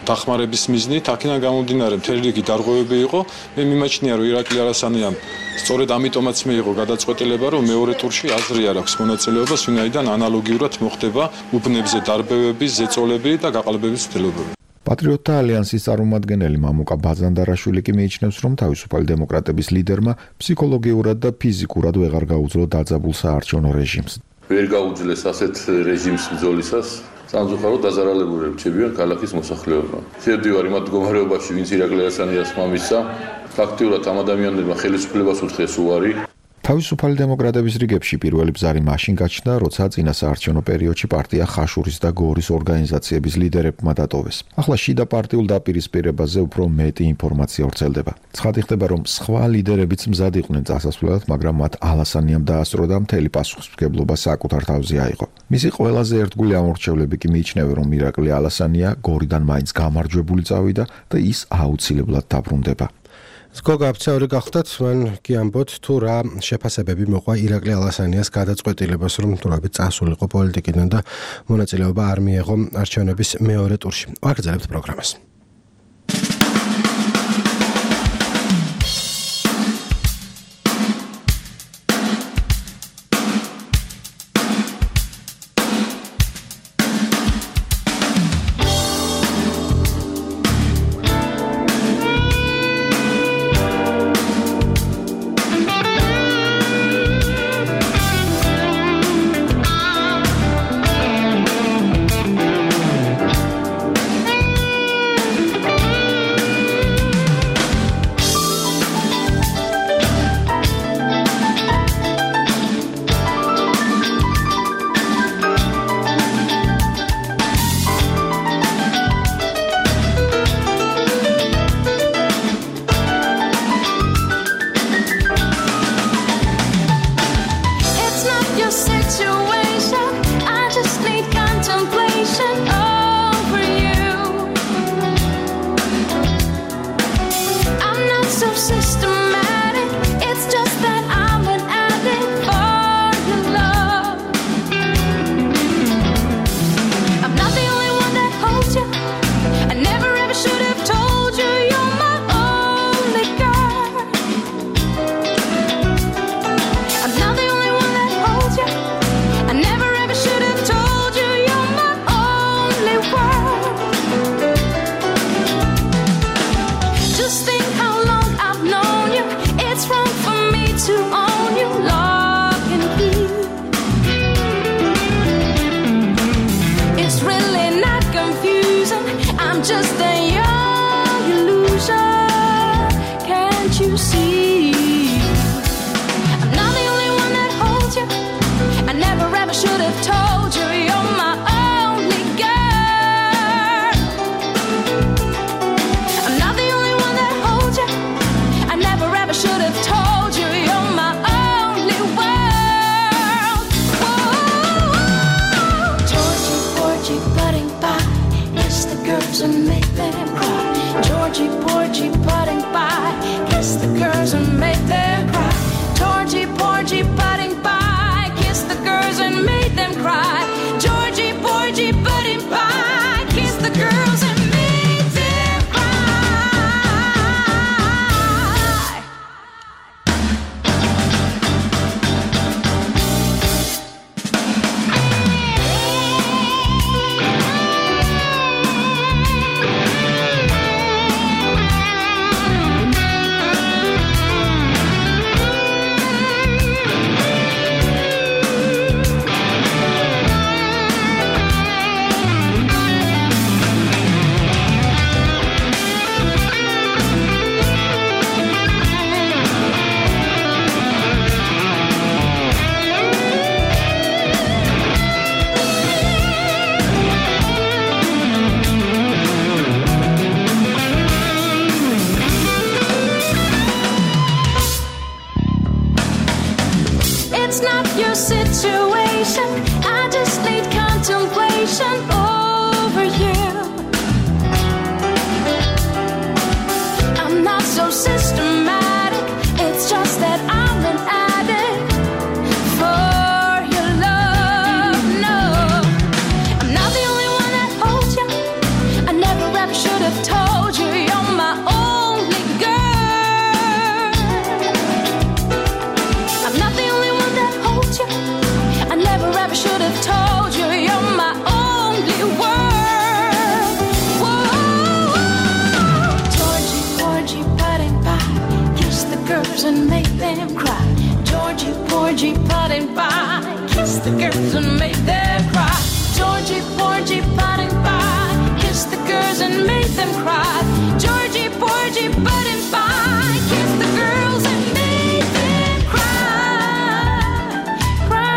დახმარების მიზნით. აქედან გამომდინარე მთელი რიგი დარღვევები იყო. მე მიმაჩნია, რომ ირაკლი ალასანიამ სწორედ ამიტომაც მიიღო გადაწყვეტილება, რომ მეორე ტურში აზრი არ აქვს მონაწილეობას, ვინაიდან ანალოგიურად მოხდება უბნებზე დარბევების, ზეწოლები და გაყალბების ცდილობები. პატრიოტთა ალიანსის წარმომადგენელი მამუკა ბაზანდარაშვილი კი მიიჩნევს, რომ თავისუფალი დემოკრატების ლიდერმა ფსიქოლოგიურად და ფიზიკურად ვეღარ გაუძლო დაძაბულ საარჩევნო რეჟიმს. ვერ გაუძლეს ასეთ რეჟიმს ბრძოლისას, სამწუხაროდ დაზარალებულები რჩებიან ქალაქის მოსახლეობა. შევდივარ იმ მდგომარეობაში, ვინც ირაკლი ალასანიას მამისა, ფაქტიურად ამ ადამიანებმა ხელისუფლებას უთხეს უარი. თავისუფალი დემოკრატების რიგებში პირველი ბზარი მაშინ გაჩნდა, როცა წინა საარჩევნო პერიოდში პარტია ხაშურის და გორის ორგანიზაციების ლიდერებმა დატოვეს. ახლა შიდა პარტიულ დაპირისპირებაზე უფრო მეტი ინფორმაცია ვრცელდება. ცხადი ხდება, რომ სხვა ლიდერებიც მზად იყვნენ წასასვლელად, მაგრამ მათ ალასანიამ დაასწრო და მთელი პასუხისმგებლობა საკუთარ თავზე აიღო. მისი ყველაზე ერთგული ამორჩევლები კი მიიჩნევენ, რომ ირაკლი ალასანია გორიდან მაინც გამარჯვებული წავიდა და ის აუცილებლად დაბრუნდება. გოგა აფციაური გახდათ, მან კი ამბობთ თუ რა შეფასებები მოყვა ირაკლი ალასანიას გადაწყვეტილებას, რომ თურმე წასულიყო პოლიტიკიდან და მონაწილეობა არ მიეღო არჩევნების მეორე ტურში. ვაგრძელებთ პროგრამას. systematic. It's just that I'm an addict for your love. I'm not the only one that holds you. I never ever should have told you you're my only girl. I'm not the only one that holds you. I never ever should have told you you're my only world. Just think how long I've known you. It's wrong for me to own you, lock and key. It's really not confusing. I'm just a young illusion. Can't you see? I'm not the only one that holds you. I never ever should have told you you're my only girl. I'm not the only one that holds you. I never ever should have told you you're my only world. Whoa. Georgie, Porgy, putting by. Kiss the girls and make them cry. Georgie, Porgy, putting by. Kiss the girls and make them cry. Georgie, Porgy, putting by. Kiss the girls and make them cry. Georgie, Porgy, putting by. Kiss the girls and make them cry. It's not your situation. I just need contemplation over you. I'm not so systematic. It's just that I'm an addict for your love. No, I'm not the only one that holds you. I never ever should have told you you're my only girl. I'm not the only one that holds you. I never ever should have told you you're my only world. Whoa. Georgie, Porgy, putting by. Kiss the girls and make them cry. Georgie, Porgy, putting by. Kiss the girls and make them cry. Georgie, Porgy, putting by. Kiss the girls and make them cry. Georgie, Porgy, putting by. Kiss the girls and make them cry. Cry.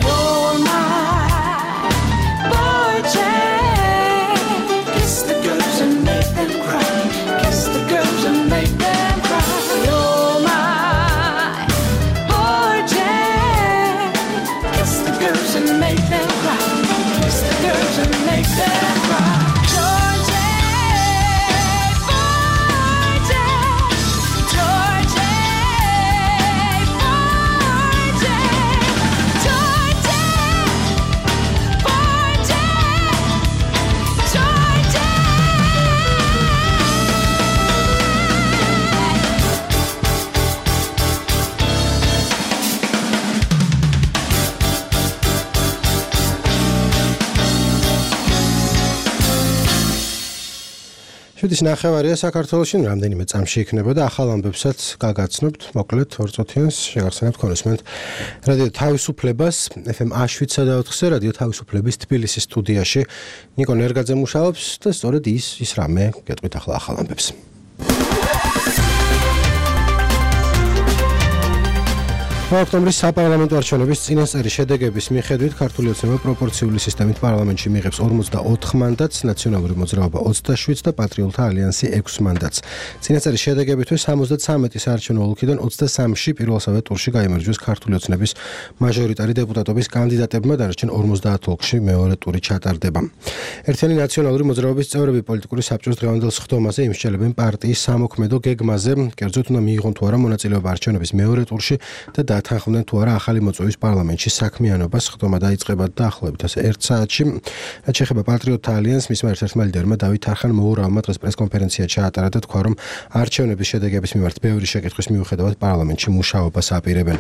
You're my boy, kiss the girls and make them cry. Kiss the girls and make them cry. You're my boy, kiss the girls and make them cry. Kiss the girls and make them cry. შვიდის ნახევარია საქართველოში, რამდენიმე წამში იქნება და ახალ ამბებსაც გაგაცნობთ, მოკლედ 2 წუთიანს შეგახსენებთ კონსუმენტ რადიო თავისუფლებას FM 7.4-ზე რადიო თავისუფლების თბილისის სტუდიაში ნიკო ნერგაძე მუშაობს და სწორედ ის რამე გეტყვით ახლა ახალ ამბებს. ოქტომბრის საპარლამენტო არჩევნების წინასწარი შედეგების მიხედვით ქართული ოცნება პროპორციული სისტემით პარლამენტში მიიღებს 44 მანდატს, ნაციონალური მოძრაობა 27 და პატრიოტთა ალიანსი 6 მანდატს. წინასწარი შედეგებისთვის 73 საარჩევნო ოლქიდან 23-ში პირველსავე ტურში გაიმარჯვეს ქართული ოცნების მაჟორიტარი დეპუტატობის კანდიდატებმა, დანარჩენ 50 ოლქში მეორე ტური ჩატარდება. ერთიანი ნაციონალური მოძრაობის წევრები პოლიტიკური საბჭოს დღევანდელ სხდომაზე იმსჯელებენ პარტიის სამოქმედო გეგმაზე, კერძოდ უნდა მიიღონ თუ არა მონაწილეობა არჩევნების მეორე ტურში და დათანხმდნენ თუ არა ახალი მოწვევის პარლამენტში საქმიანობას. სხდომა დაიწყება დაახლოებით 1 საათში. რაც შეეხება პატრიოტთა ალიანსს, მისმა ერთ-ერთმა ლიდერმა დავით არხან მოურავმა დღეს პრესკონფერენცია ჩაატარა და თქვა, რომ არჩევნების შედეგების მიმართ ბევრი შეკითხვის მიუხედავად პარლამენტში მუშაობას აპირებენ.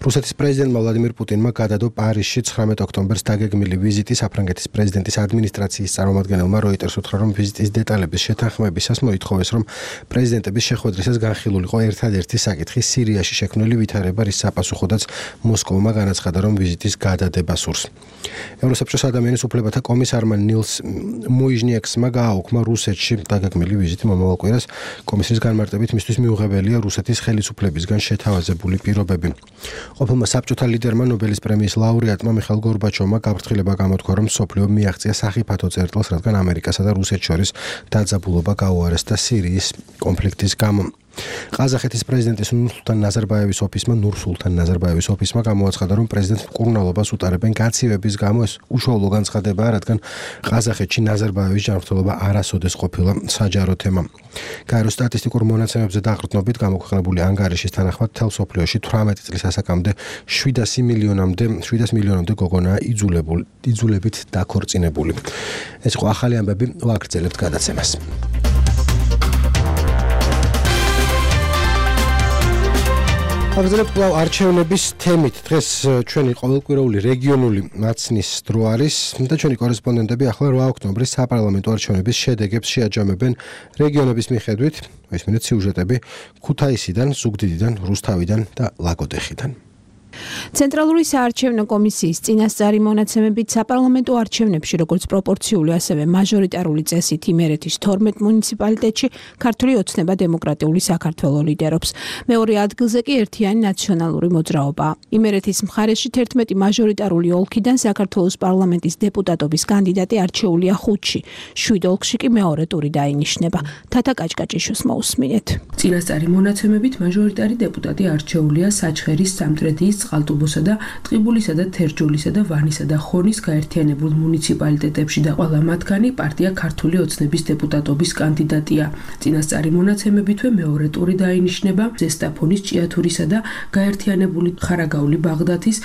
რუსეთის პრეზიდენტმა ვლადიმირ პუტინმა გადადო პარიზში 19 ოქტომბერს დაგეგმილი ვიზიტი. საფრანგეთის პრეზიდენტის ადმინისტრაციის წარმომადგენელმა როიტერს უთხრა, რომ ვიზიტის დეტალების შეთანხმებისას მოითხოვეს, რომ პრეზიდენტების შეხვედრისას განხილულიყო ერთადერთი საკითხი სირიაში შექმნილი ვითარება, რის საპასუხოდაც მოსკოვმა განაცხადა, რომ ვიზიტის გადადება სურს. ევროსაბჭოს ადამიანის უფლებათა კომისარმა ნილს მუიჟნიექსმა გააუქმა რუსეთში დაგეგმილი ვიზიტი მომავალ კვირას. კომისრის განმარტებით მისთვის მიუღებელია რუსეთის ხელისუფლებისგან შეთავაზებული პირობები. ყოფილმა საბჭოთა ლიდერმა ნობელის პრემიის ლაურეატმა მიხაილ გორბაჩოვმა გაფრთხილება გამოთქვა, რომ მსოფლიო მიაღწია სახიფათო წერტილს, რადგან ამერიკასა და რუსეთს შორის დაძაბულობა გაუარესდა სირიის კონფლიქტის გამო. ყაზახეთის პრეზიდენტის ნურსულთან ნაზარბაევის ოფისმა გამოაცხადა, რომ პრეზიდენტს მკურნალობას უტარებენ გაცივების გამო. ეს უშუალო განცხადებაა, რადგან ყაზახეთში ნაზარბაევის ჯანმრთელობა არასოდეს ყოფილა საჯარო თემა. გაერო სტატისტიკურ მონაცემებზე დაყრდნობით გამოქვეყნებული ანგარიშის თანახმად მთელ მსოფლიოში 18 წლის ასაკამდე 700 მილიონამდე გოგონაა იძულებით დაქორწინებული. ეს იყო ახალი ამბები, ვაგრძელებთ გადაცემას. აგზელებთ არჩევნების თემით. დღეს ჩვენი ყოველკვირეული რეგიონული მაცნის დრო არის და ჩვენი კორესპონდენტები ახლა 8 ოქტომბრის საპარლამენტო არჩევნების შედეგებს შეაჯამებენ რეგიონების მიხედვით. ესმინეთ სიუჟეტები ქუთაისიდან, ზუგდიდიდან, რუსთავიდან და ლაგოდეხიდან. ცენტრალური საარჩევნო კომისიის წინასწარი მონაცემებით საპარლამენტო არჩევნებში, როგორც პროპორციული, ასევე მაჟორიტარული წესით იმერეთის 12 მუნიციპალიტეტში ქართული ოცნება დემოკრატიული საქართველო ლიდერობს. მეორე ადგილზე კი ერთიანი ნაციონალური მოძრაობაა. იმერეთის მხარეში 11 მაჟორიტარული ოლქიდან საქართველოს პარლამენტის დეპუტატობის კანდიდატი არჩეულია 5-ში, 7 ოლქში კი მეორე ტური დაინიშნება. თათა კაჭკაჭიშვილს მოусმინეთ. წინასწარი მონაცემებით მაჟორიტარი დეპუტატი არჩეულია საჩხერის, სამტრედიის, წყალტუბოსა და ტყიბულისა და თერჯოლისა და ვანისა და ხონის გაერთიანებულ მუნიციპალიტეტებში და ყველა მათგანი პარტია ქართული ოცნების დეპუტატობის კანდიდატია. წინასწარი მონაცემებითვე მეორე ტური დაინიშნება ზესტაფონის, ჭიათურისა და გაერთიანებული ხარაგაული ბაღდათის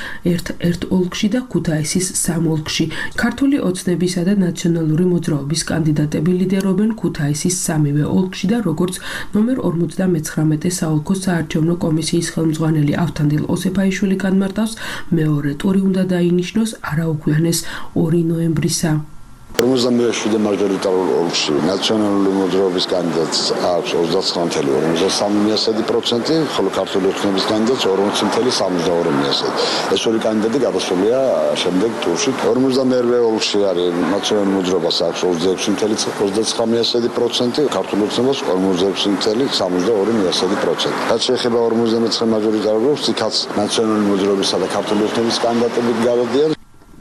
ერთ ოლქში და ქუთაისის 3 ოლქში. ქართული ოცნებისა და ნაციონალური მოძრაობის კანდიდატები ლიდერობენ ქუთაისის 3-ვე ოლქში და როგორც ნომერ 59 საოლქო საარჩევნო კომისიის ხელმძღვანელი ავთანდილ ოსეფაიშვილი განმარტავს, მეორე ტური უნდა დაინიშნოს არაუქვიანეს 2 ნოემბრისა. 57 მაჟორიტარულ ოლქში ნაციონალური მოძრაობის კანდიდატს აქვს 29.53%, ხოლო ქართული ოცნების კანდიდატს 40.72%. ეს ორი კანდიდატი გადასულია შემდეგ ტურში. 52 ოლქში არის ნაციონალური მოძრაობას აქვს 26.29%, ქართული ოცნებას 46.72%. რაც შეეხება 59 მაჟორიტარულ ოლქს, იქაც ნაციონალური მოძრაობისა და ქართული ოცნების კანდიდატები გადადიან.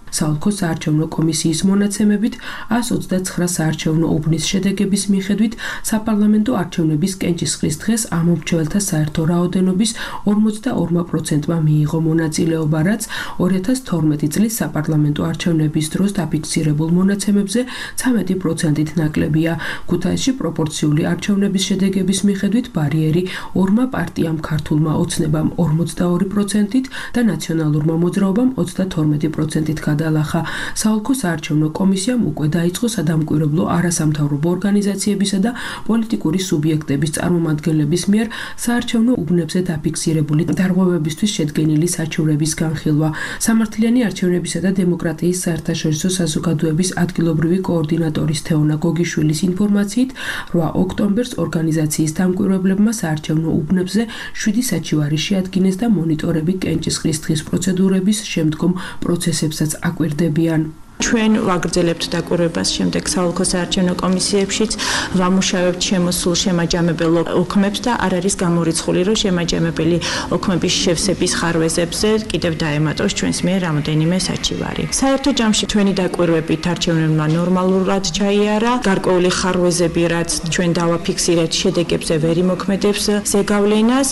საოლქო საარჩევნო კომისიის მონაცემებით 129 საარჩევნო უბნის შედეგების მიხედვით საპარლამენტო არჩევნების კენჭისყრის დღეს ამომრჩეველთა საერთო რაოდენობის 42%-მა მიიღო მონაწილეობა, რაც 2012 წლის საპარლამენტო არჩევნების დროს დაფიქსირებულ მონაცემებზე 13%-ით ნაკლებია. ქუთაისში პროპორციული არჩევნების შედეგების მიხედვით ბარიერი ორმა პარტიამ ქართულმა ოცნებამ 42%-ით და ნაციონალურმა მოძრაობამ 32%-ით გადალახა. საოლქო საარჩევნო კომისიამ უკვე დაიწყო სადამკვირვებლო არასამთავრობო ორგანიზაციებისა და პოლიტიკური სუბიექტების წარმომადგენლების მიერ საარჩევნო უბნებზე დაფიქსირებული დარღვევებისთვის შედგენილი საჩუქრების განხილვა. სამართლიანი არჩევნებისა და დემოკრატიის საერთაშორისო საზოგადოების ადგილობრივი კოორდინატორის თეონა გოგიშვილის ინფორმაციით 8 ოქტომბერს ორგანიზაციის დამკვირვებლებმა საარჩევნო უბნებზე 7 საჩივარი შეადგინეს და მონიტორები კენჭისყრის დღის პროცედურების შემდგომ პროცესებსაც აკვირდებიან. ჩვენ ვაგრძელებთ დაკვირვებას შემდეგ საოლქო საარჩევნო კომისიებშიც, ვამუშავებთ შემოსულ შემაჯამებელ ოქმებს და არ არის გამორიცხული, რომ შემაჯამებელი ოქმების შევსების ხარვეზებზე კიდევ დაემატოს ჩვენს მიერ რამოდენიმე საჩივარი. საერთო ჯამში ჩვენი დაკვირვებით არჩევნებმა ნორმალურად ჩაიარა, გარკვეული ხარვეზები, რაც ჩვენ დავაფიქსირეთ, შედეგებზე ვერ იმოქმედებს ზეგავლენას.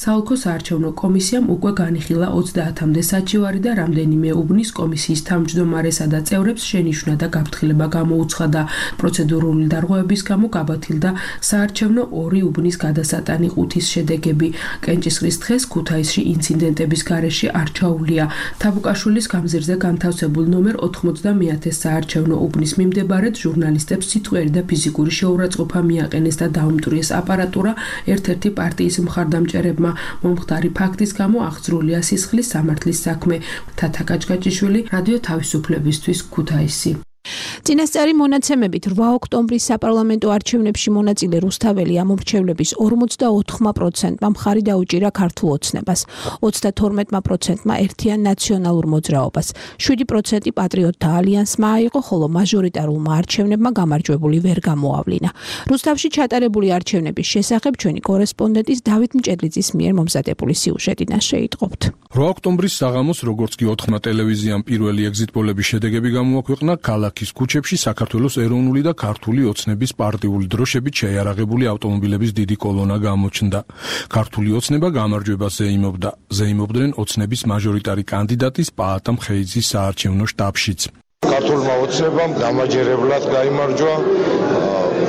საოლქო საარჩევნო კომისიამ უკვე განიხილა 30-მდე საჩივარი და რამდენიმე უბნის კომისიის თავმჯდომარესა და წევრებს შენიშვნა და გაფრთხილება გამოუცხადა. პროცედურული დარღვევების გამო გაბათილდა საარჩევნო 2 უბნის გადასატანი 5-ის შედეგები. კენჭისყრის დღეს ქუთაისში ინციდენტების გარეშე არ ჩაუვლია. თაბუკაშვილის გამზირზე განთავსებულ ნომერ 90-მე საარჩევნო უბნის მიმდებარედ ჟურნალისტებს სიტყვიერი და ფიზიკური შეურაცხყოფა მიაყენეს და დაუმტვრიეს აპარატურა ერთ-ერთი პარტიის მხარდამჭერებმა. მომხდარი ფაქტის გამო აღძრულია სისხლის სამართლის საქმე. თათა კაჭკაჭიშვილი, რადიო თავისუფლებისთვის, ქუთაისი. წინასწარი მონაცემებით 8 ოქტომბრის საპარლამენტო არჩევნებში მონაწილე რუსთაველი ამომრჩევლების 44%-მა მხარი დაუჭირა ქართულ ოცნებას, 32%-მა ერთიან ნაციონალურ მოძრაობას, 7% პატრიოტთა ალიანსმა აიღო, ხოლო მაჟორიტარულმა არჩევნებმა გამარჯვებული ვერ გამოავლინა. რუსთავში ჩატარებული არჩევნების შესახებ ჩვენი კორესპონდენტის დავით მჭედლიძის მიერ მომზადებული სიუჟეტი შეიტყობთ. 8 ოქტომბრის საღამოს, როგორც კი 4-მა ტელევიზიამ პირველი ეგზიტ პოლების შედეგები გამოაქვეყნა, ქალაქის ქუჩებში საქართველოს ეროვნული და ქართული ოცნების პარტიული დროშებით შეიარაღებული ავტომობილების დიდი კოლონა გამოჩნდა. ქართული ოცნება გამარჯვებას ზეიმობდნენ ოცნების მაჟორიტარი კანდიდატის პაატა მხეიძის საარჩევნო შტაბშიც. ქართულმა ოცნებამ გამაჯერებლად გაიმარჯვა.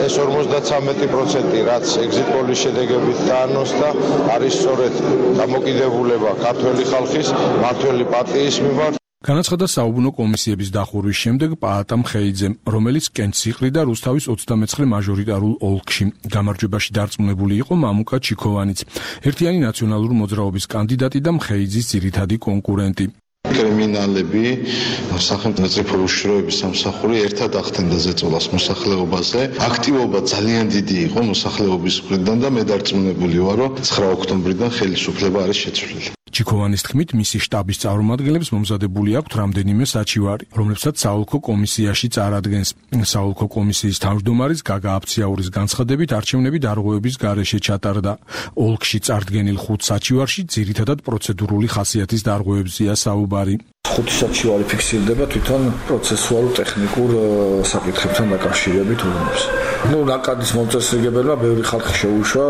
ეს 53%, რაც ეგზიტ პოლის შედეგებით დაანონსდა, არის სწორედ დამოკიდებულება ქართველი ხალხის მმართველი პარტიის მიმართ. განაცხადა საუბნო კომისიების დახურვის შემდეგ პაატა მხეიძემ, რომელიც კენჭს იყრიდა რუსთავის 29 მაჟორიტარულ ოლქში. გამარჯვებაში დარწმუნებული იყო მამუკა ჩიქოვანიც, ერთიანი ნაციონალური მოძრაობის კანდიდატი და მხეიძის ძირითადი კონკურენტი. კრიმინალები, სახელმწიფო უშიშროების სამსახური ერთად ახდენდა ზეწოლას მოსახლეობაზე. აქტივობა ძალიან დიდი იყო მოსახლეობის მხრიდან და მე დარწმუნებული ვარ, რომ 9 ოქტომბრიდან ხელისუფლება არის შეცვლილი. ჩიქოვანის თქმით, მისი შტაბის წარმომადგენლებს მომზადებული აქვთ რამდენიმე საჩივარი, რომლებსაც საოლქო კომისიაში წარადგენს. საოლქო კომისიის თავმჯდომარის გაგა აფციაურის განცხადებით, არჩევნები დარღვევების გარეშე ჩატარდა. ოლქში წარდგენილ 5 საჩივარში ძირითადად პროცედურული ხასიათის დარღვევებზია საუბარი. 5 საჩივარი ფიქსირდება თვითონ პროცესუალურ ტექნიკურ საკითხებთან დაკავშირებით უბნებს. ნაკადის მომწესრიგებელმა ბევრი ხალხი შეუშვა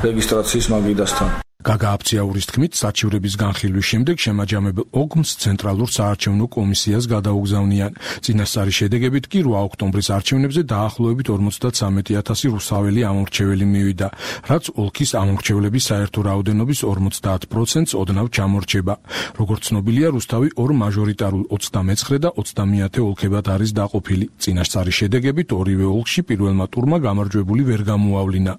რეგისტრაციის მაგიდასთან. გაგა აფციაურის თქმით, საჩივრების განხილვის შემდეგ შემაჯამებელ ოგმს ცენტრალურ საარჩევნო კომისიას გადაუგზავნიან. წინასწარი შედეგებით კი 8 ოქტომბრის არჩევნებზე დაახლოებით 53,000 რუსთაველი ამომრჩეველი მივიდა, რაც ოლქის ამომრჩევლების საერთო რაოდენობის 50%-ს ოდნავ ჩამორჩება. როგორც ცნობილია, რუსთავი 2 მაჟორიტარულ 29 და 30 ოლქებად არის დაყოფილი. წინასწარი შედეგებით ორივე ოლქში პირველმა ტურმა გამარჯვებული ვერ გამოავლინა.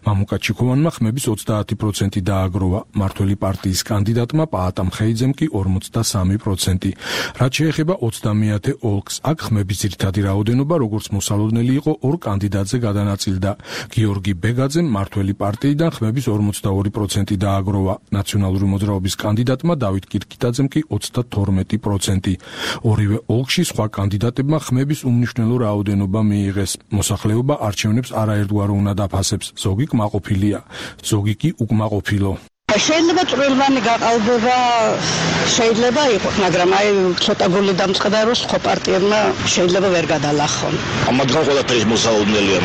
მამუკა ჩიქოვანმა ხმების 30% დააგროვა, მმართველი პარტიის კანდიდატმა პაატა მხეიძემ კი 43%. რაც შეეხება 30 ოლქს, აქ ხმების ძირითადი რაოდენობა, როგორც მოსალოდნელი იყო, 2 კანდიდატზე გადანაწილდა. გიორგი ბეგაძემ მმართველი პარტიიდან ხმების 42% დააგროვა, ნაციონალური მოძრაობის კანდიდატმა დავით კირკიტაძემ კი 32%. ორივე ოლქში სხვა კანდიდატებმა ხმების უმნიშვნელო რაოდენობა მიიღეს. მოსახლეობა არჩევნებს არაერთგვარ უნდა დაფასებს, ზოგი კმაყოფილია, ზოგი კი უკმაყოფილო. შეიძლება წვრილმანი გაყალბება შეიძლება იყოს, მაგრამ აი ცოტა გული დამწყდა, რომ სხვა პარტიებმა შეიძლება ვერ გადალახონ. ამათგან ყველაფერი მოსაოდნელია,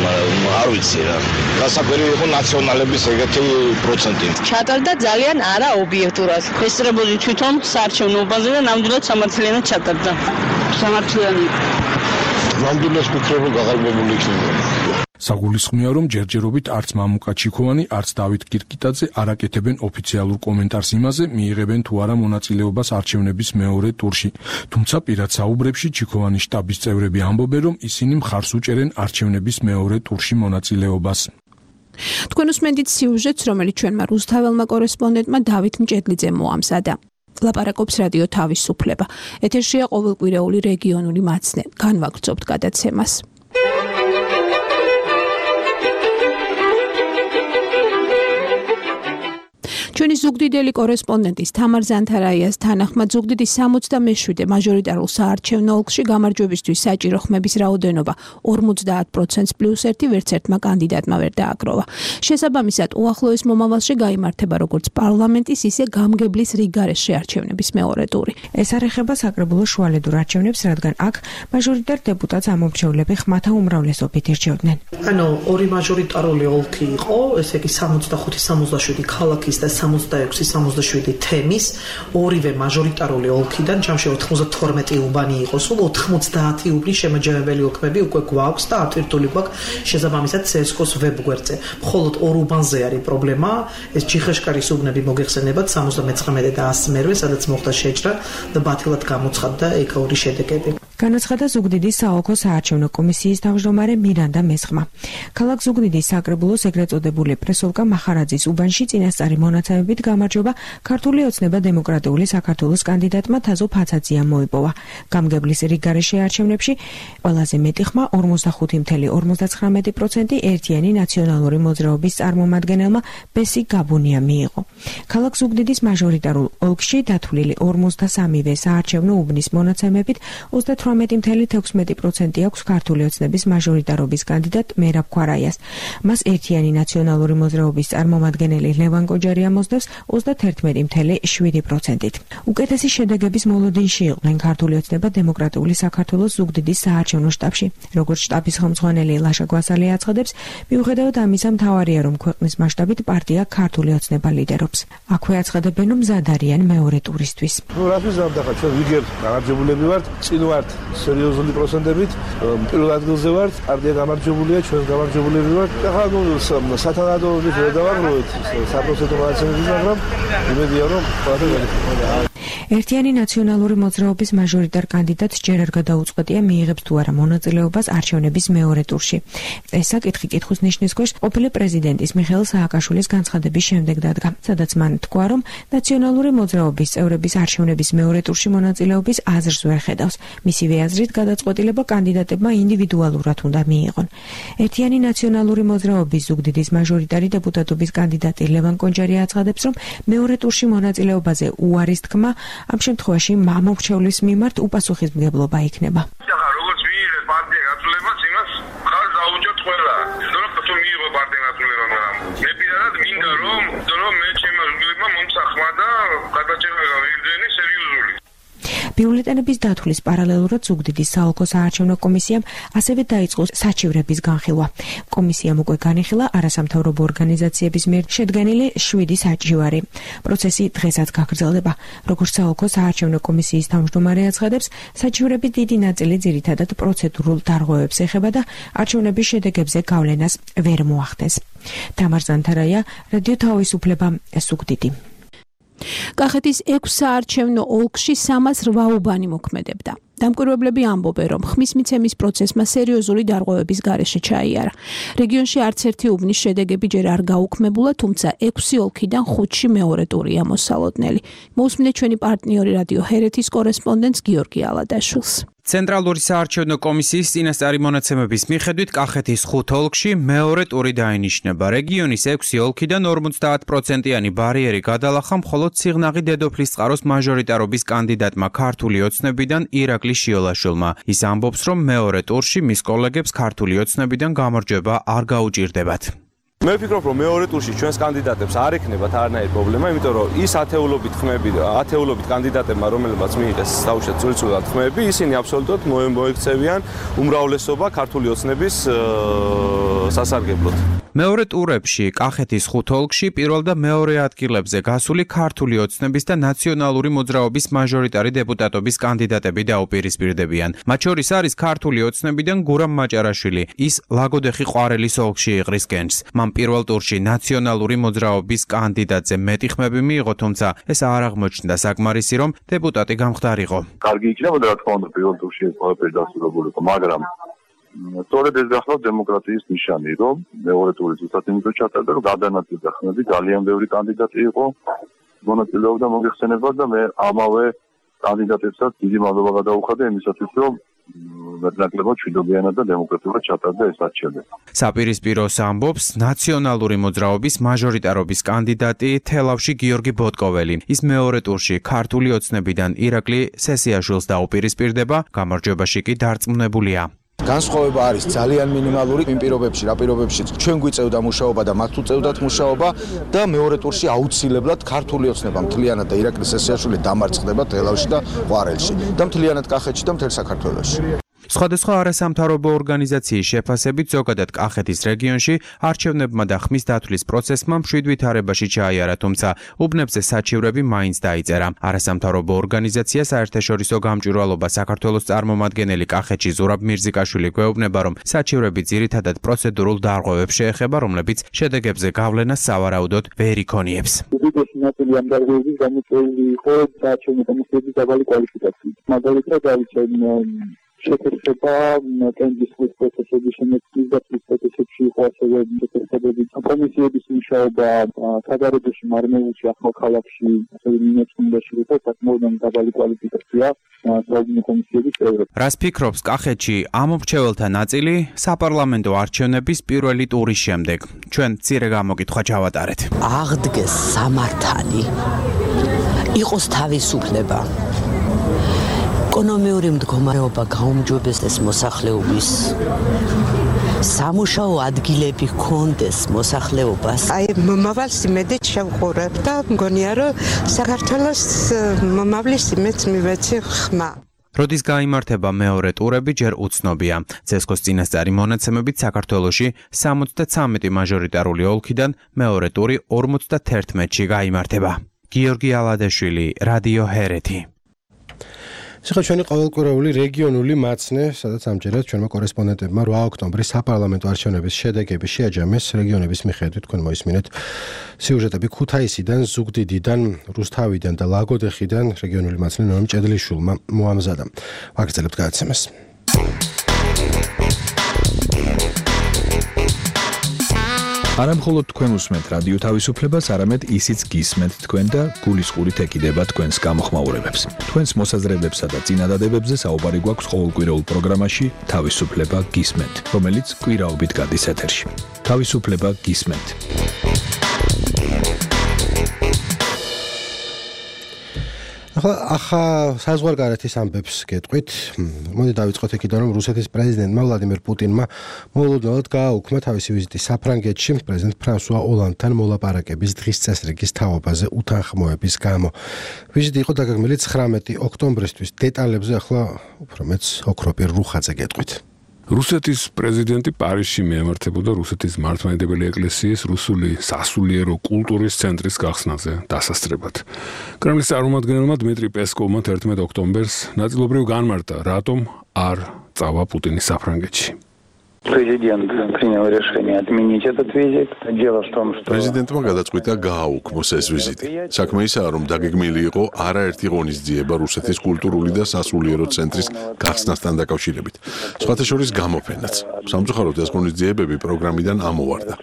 არ ვიცი რა. გასაკვირი იყო ნაციონალების ეგეთი პროცენტი. ჩატარდა ძალიან არაობიექტურად. ესწრებოდი თვითონ საარჩევნოობაზე და ნამდვილად სამართლიანად ჩატარდა. სამართლიანი. ნამდვილად ვფიქრობ, რომ გაყალბებული იქნება. საგულისხმოა, რომ ჯერჯერობით არც მამუკა ჩიქოვანი, არც დავით კირკიტაძე არ აკეთებენ ოფიციალურ კომენტარს იმაზე, მიიღებენ თუ არა მონაწილეობას არჩევნების მეორე ტურში. თუმცა პირად საუბრებში ჩიქოვანის შტაბის წევრები ამბობენ, რომ ისინი მხარს უჭერენ არჩევნების მეორე ტურში მონაწილეობას. თქვენ უსმენთ სიუჟეტს, რომელიც ჩვენმა რუსთაველმა კორესპონდენტმა დავით მჭედლიძემ მოამზადა. ლაპარაკობს რადიო თავისუფლება. ეთერშია ყოველკვირეული რეგიონული მაცნე. განვაგრძობთ გადაცემას. ჩვენი ზუგდიდელი კორესპონდენტის თამარ ზანთარაიას თანახმად ზუგდიდის 67 მაჟორიტარულ საარჩევნო ოლქში გამარჯვებისთვის საჭირო ხმების რაოდენობა 50% პლუს 1 ვერც ერთმა კანდიდატმა ვერ დააგროვა. შესაბამისად, უახლოეს მომავალში გაიმართება როგორც პარლამენტის, ისე გამგებლის რიგგარეშე არჩევნების მეორე ტური. ეს არ ეხება საკრებულოს შუალედურ არჩევნებს, რადგან აქ მაჟორიტარ დეპუტატს ამომრჩევლები ხმათა უმრავლესობით ირჩევდნენ. ანუ ორი მაჟორიტარული ოლქი იყო, ესე იგი 65-67 ქალაქის და 66-67 თემის, ორივე მაჟორიტარული ოლქიდან ჯამში 92 უბანი იყო, სულ 90 უბნის შემაჯამებელი ოლქები უკვე გვაქვს და ატვირთული გვაქვს შესაბამისად CSGO-ს ვებგვერდზე. მხოლოდ ორ უბანზე არის პრობლემა, ეს ჩიხეშკარის უბნები მოგეხსენებათ 79 და 100-მერვე, სადაც მოხდა შეჭრა და ბათილად გამოცხადდა ეკაური შედეგები. განაცხადა ზუგდიდის საოლქო საარჩევნო კომისიის თავმჯდომარე მირანდა მესხმა. ქალაქ ზუგდიდის საკრებულოს ეგრეთ წოდებული პრესოვკა მახარაძის უბანში წინასწარი მონაცემებით გამარჯვება ქართული ოცნება დემოკრატიული საქართველოს კანდიდატმა თაზო ფაცაძიამ მოიპოვა. გამგებლის რიგგარეშე არჩევნებში ყველაზე მეტი ხმა 45.59% ერთიანი ნაციონალური მოძრაობის წარმომადგენელმა ბესი გაბუნია მიიღო. ქალაქ ზუგდიდის მაჟორიტარულ ოლქში დათვლილი 53-ვე საარჩევნო უბნის მონაცემებით 18.16% აქვს ქართული ოცნების მაჟორიტარობის კანდიდატ მერაბ ქვარაიას. მას ერთიანი ნაციონალური მოძრაობის წარმომადგენელი ლევან კოჯარი ამოსდევს 31.7%-ით. უკეთესი შედეგების მოლოდინში იყვნენ ქართული ოცნება დემოკრატიული საქართველოს ზუგდიდის საარჩევნო შტაბში. როგორც შტაბის ხელმძღვანელი ლაშა გვასალი აცხადებს, მიუხედავად ამისა, მთავარია, რომ ქვეყნის მასშტაბით პარტია ქართული ოცნება ლიდერობს. აქვე აცხადებენ, რომ მზად არიან მეორე ტურისთვის. რაფის ზამთარ ჩვენ ვიგებ გამარჯვებულები ვართ, წინ ვართ სერიოზული პროცენტებით, პირველ ადგილზე ვართ, პარტია გამარჯვებულია, ჩვენ გამარჯვებულები ვართ. ახლა სათანადო ვერ დავაგროვეთ საპროცენტო მონაცემები, მაგრამ იმედია, რომ ყველაფერი გაიგრძელება. ერთიანი ნაციონალური მოძრაობის მაჟორიტარ კანდიდატს ჯერ არ გადაუწყვეტია მიიღებს თუ არა მონაწილეობას არჩევნების მეორე ტურში. ეს საკითხი კითხვის ნიშნის ქვეშ ყოფილი პრეზიდენტის მიხეილ სააკაშვილის განცხადების შემდეგ დადგა, სადაც მან თქვა, რომ ნაციონალური მოძრაობის წევრების არჩევნების მეორე ტურში მონაწილეობის აზრს ვერ ხედავს. მისივე აზრით გადაწყვეტილება კანდიდატებმა ინდივიდუალურად უნდა მიიღონ. ერთიანი ნაციონალური მოძრაობის ზუგდიდის მაჟორიტარი დეპუტატობის კანდიდატი ლევან კონჯარი აცხადებს, რომ მეორე ტურში მონაწილეობაზე უარის თქმა ამ შემთხვევაში მამორჩევლის მიმართ უპასუხისმგებლობა იქნება. როგორც მიიღეს პარტია გაწოლებას, იმას ხარ დაუჯოთ ყველა. თუ მიიღო პარტია გაწოლება, მაგრამ მე პირადად მინდა რომ მე ჩემმა ზუგდიდმა მომსახმა და გადაჭერა გავიგრძენი სერიოზული. ბიულეტენების დათვლის პარალელურად ზუგდიდის საოლქო საარჩევნო კომისიამ ასევე დაიწყო საჩივრების განხილვა. კომისიამ უკვე განიხილა არასამთავრობო ორგანიზაციების მიერ შედგენილი 7 საჩივარი. პროცესი დღესაც გაგრძელდება. როგორც საოლქო საარჩევნო კომისიის თავმჯდომარე აცხადებს, საჩივრების დიდი ნაწილი ძირითადად პროცედურულ დარღვევებს ეხება და არჩევნების შედეგებზე გავლენას ვერ მოახდენს. თამარ ზანთარაია, რადიო თავისუფლება, ზუგდიდი. კახეთის 6 საარჩევნო ოლქში 308 უბანი მოქმედებდა. დამკვირვებლები ამბობენ, რომ ხმის მიცემის პროცესმა სერიოზული დარღვევების გარეშე ჩაიარა. რეგიონში არც ერთი უბნის შედეგები ჯერ არ გაუქმებულა, თუმცა 6 ოლქიდან 5-ში მეორე ტურია მოსალოდნელი. მოусმინეთ ჩვენი პარტნიორი რადიო ჰერეთის კორესპონდენტს გიორგი ალადაშვილს. ცენტრალური საარჩევნო კომისიის წინასწარი მონაცემების მიხედვით კახეთის 5 ოლქში მეორე ტური დაინიშნება. რეგიონის 6 ოლქიდან 50%-იანი ბარიერი გადალახა მხოლოდ სიღნაღი დედოფლის წყაროს მაჟორიტარობის კანდიდატმა ქართული ოცნებიდან ირაკლი შიოლაშვილმა. ის ამბობს, რომ მეორე ტურში მის კოლეგებს ქართული ოცნებიდან გამარჯვება არ გაუჭირდებათ. მე ვფიქრობ, რომ მეორე ტურში ჩვენს კანდიდატებს არ ექნებათ არანაირი პრობლემა, იმიტომ რომ ის ათეულობით კანდიდატებმა, რომელებაც მიიღეს დაუშვათ სრულიად ხმები, ისინი აბსოლუტურად მოექცევიან უმრავლესობა ქართული ოცნების სასარგებლოდ. მეორე ტურებში კახეთის 5 ოლქში პირველ და მეორე ადგილებზე გასული ქართული ოცნების და ნაციონალური მოძრაობის მაჟორიტარი დეპუტატობის კანდიდატები დაუპირისპირდებიან. მათ შორის არის ქართული ოცნებიდან გურამ მაჭარაშვილი. ის ლაგოდეხი ყვარელის ოლქში იყრის გენს. მან პირველ ტურში ნაციონალური მოძრაობის კანდიდატზე მეტი ხმები მიიღო, თუმცა ეს არ აღმოჩნდა საკმარისი, რომ დეპუტატი გამხდარიყო. კარგი იქნებოდა, რა თქმა უნდა, პირველ ტურში ეს ყველაფერი დასრულებულიყო, მაგრამ სწორედ ეს გახლავთ დემოკრატიის ნიშანი, რომ მეორე ტური ზუსტად იმიტომ ჩატარდა, რომ გადანაწილდა ხმები, ძალიან ბევრი კანდიდატი იყო, მონაწილეობდა მოგეხსენებათ და მე ამავე კანდიდატებსაც დიდი მადლობა გადაუხადე იმისათვის, რომ მეტნაკლებად მშვიდობიანად და დემოკრატიულად ჩატარდა ეს არჩევნები. საპირისპიროს ამბობს ნაციონალური მოძრაობის მაჟორიტარობის კანდიდატი თელავში გიორგი ბოტკოველი. ის მეორე ტურში ქართული ოცნებიდან ირაკლი სესიაშვილს დაუპირისპირდება, გამარჯვებაში კი დარწმუნებულია. განსხვავება არის ძალიან მინიმალური იმ პირობებში, რა პირობებშიც ჩვენ გვიწევდა მუშაობა და მათ უწევდათ მუშაობა და მეორე ტურში აუცილებლად ქართული ოცნება მთლიანად და ირაკლი სესიაშვილი დამარცხდება თელავში და ყვარელში და მთლიანად კახეთში და მთელ საქართველოში. სხვადასხვა არასამთავრობო ორგანიზაციის შეფასებით ზოგადად კახეთის რეგიონში არჩევნებმა და ხმის დათვლის პროცესმა მშვიდ ვითარებაში ჩაიარა, თუმცა უბნებზე საჩივრები მაინც დაიწერა. არასამთავრობო ორგანიზაცია საერთაშორისო გამჭვირვალობა საქართველოს წარმომადგენელი კახეთში ზურაბ მირზიკაშვილი გვეუბნება, რომ საჩივრები ძირითადად პროცედურულ დარღვევებს შეეხება, რომლებიც შედეგებზე გავლენას სავარაუდოდ ვერ იქონიებს. უდიდესი ნაწილი ამ დარღვევების გამოწვეული იყო საარჩევნო კომისიების დაბალი კვალიფიკაციით. მაგალითად შეკრება კენჭისყრის პროცესების შემოქმედის და პროცესებში იყო ასევე შეკრებები კომისიების მუშაობა საგარეჯოში მარმელში ახალქალაქში ასევე მინიატურაში იყო საკმაოდ დაბალი კვალიფიკაცია საუბნო კომისიების წევრებს. რას ფიქრობს კახეთში ამომრჩეველთა ნაწილი საპარლამენტო არჩევნების პირველი ტურის შემდეგ? ჩვენ მცირე გამოკითხვა ჩავატარეთ. აღდგეს სამართალი, იყოს თავისუფლება, ეკონომიური მდგომარეობა გაუმჯობესდეს მოსახლეობის, სამუშაო ადგილები ჰქონდეს მოსახლეობას. მომავალს იმედით შევყურებ და მგონია, რომ საქართველოს მომავლის იმედს მივეცი ხმა. როდის გაიმართება მეორე ტურები ჯერ უცნობია. ცესკოს წინასწარი მონაცემებით საქართველოში 73 მაჟორიტარული ოლქიდან მეორე ტური 51-ში გაიმართება. გიორგი ალადეშვილი, რადიო ჰერეთი. ახლა ჩვენი ყოველკვირეული რეგიონული მაცნე, სადაც ამჯერად ჩვენმა კორესპონდენტებმა 8 ოქტომბრის საპარლამენტო არჩევნების შედეგები შეაჯამეს რეგიონების მიხედვით. თქვენ მოისმინეთ სიუჟეტები ქუთაისიდან, ზუგდიდიდან, რუსთავიდან და ლაგოდეხიდან რეგიონული მაცნე ნოემ ჭედლიშვილმა მოამზადა. ვაგრძელებთ გადაცემას. არა მხოლოდ თქვენ უსმენთ რადიო თავისუფლებას, არამედ ისიც გისმენთ თქვენ და გულისყურით ეკიდება თქვენს გამოხმაურებებს. თქვენს მოსაზრებებსა და წინადადებებზე საუბარი გვაქვს ყოველკვირეულ პროგრამაში თავისუფლება გისმენთ, რომელიც კვირაობით გადის ეთერში. თავისუფლება გისმენთ. ახლა საზღვარგარეთის ამბებს გეტყვით. მოდი დავიწყოთ იქიდან, რომ რუსეთის პრეზიდენტმა ვლადიმერ პუტინმა მოულოდნელად გააუქმა თავისი ვიზიტი საფრანგეთში პრეზიდენტ ფრანსუა ოლანდთან მოლაპარაკების დღის წესრიგის თაობაზე უთანხმოების გამო. ვიზიტი იყო დაგეგმილი 19 ოქტომბრისთვის. დეტალებზე ახლა უფრო მეც ოქროპირ რუხაძე გეტყვით. რუსეთის პრეზიდენტი პარიზში მიემართებოდა რუსეთის მართლმადიდებელი ეკლესიის რუსული სასულიერო კულტურის ცენტრის გახსნაზე დასასწრებად. კრემლის წარმომადგენელმა დმიტრი პესკოვმა 11 ოქტომბერს ნაწილობრივ განმარტა, რატომ არ წავა პუტინი საფრანგეთში. Президент принял решение отменить этот визит. Дело в том, что Президентმა გადაწყვიტა გააუქმოს ეს ვიზიტი. საქმე ისაა, რომ დაგეგმილი იყო არაერთი ღონისძიება რუსეთის კულტურული და სასულიერო ცენტრის გახსნასთან დაკავშირებით. სხვათა შორის გამოფენაც. სამწუხაროდ ეს ღონისძიებები პროგრამიდან ამოვარდა.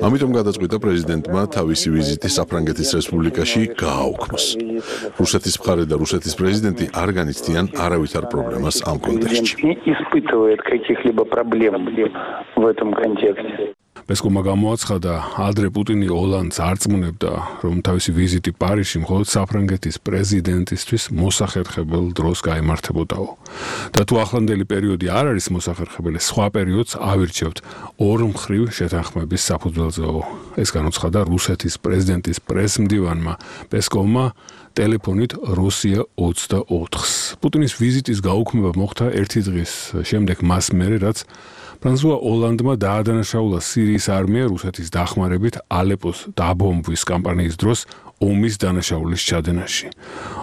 ამიტომ გადაწყვიტა პრეზიდენტმა თავისი ვიზიტი საფრანგეთის რესპუბლიკაში გააუქმოს. რუსეთის მხარე და რუსეთის პრეზიდენტი არ განიცდიან არავითარ პრობლემას ამ კონტექსტში. испытывает каких-либо проблем в этом контексте. პესკოვმა გამოაცხადა, ადრე პუტინი ოლანდს არწმუნებდა, რომ თავისი ვიზიტი პარიზში მხოლოდ საფრანგეთის პრეზიდენტისთვის მოსახერხებელ დროს გაიმართებოდაო. და თუ ახლანდელი პერიოდი არ არის მოსახერხებელი, სხვა პერიოდს ავირჩევთ ორმხრივ შეთანხმების საფუძველზეო. ეს განუცხადა რუსეთის პრეზიდენტის პრესმდივანმა პესკოვმა ტელეფონით რუსია 24-ს. პუტინის ვიზიტის გაუქმება მოხდა ერთი დღის შემდეგ მას მერე, რაც ფრანსუა ოლანდმა დაადანაშაულა სირიის არმია რუსეთის დახმარებით ალეპოს დაბომბვის კამპანიის დროს ომის დანაშაულის ჩადენაში.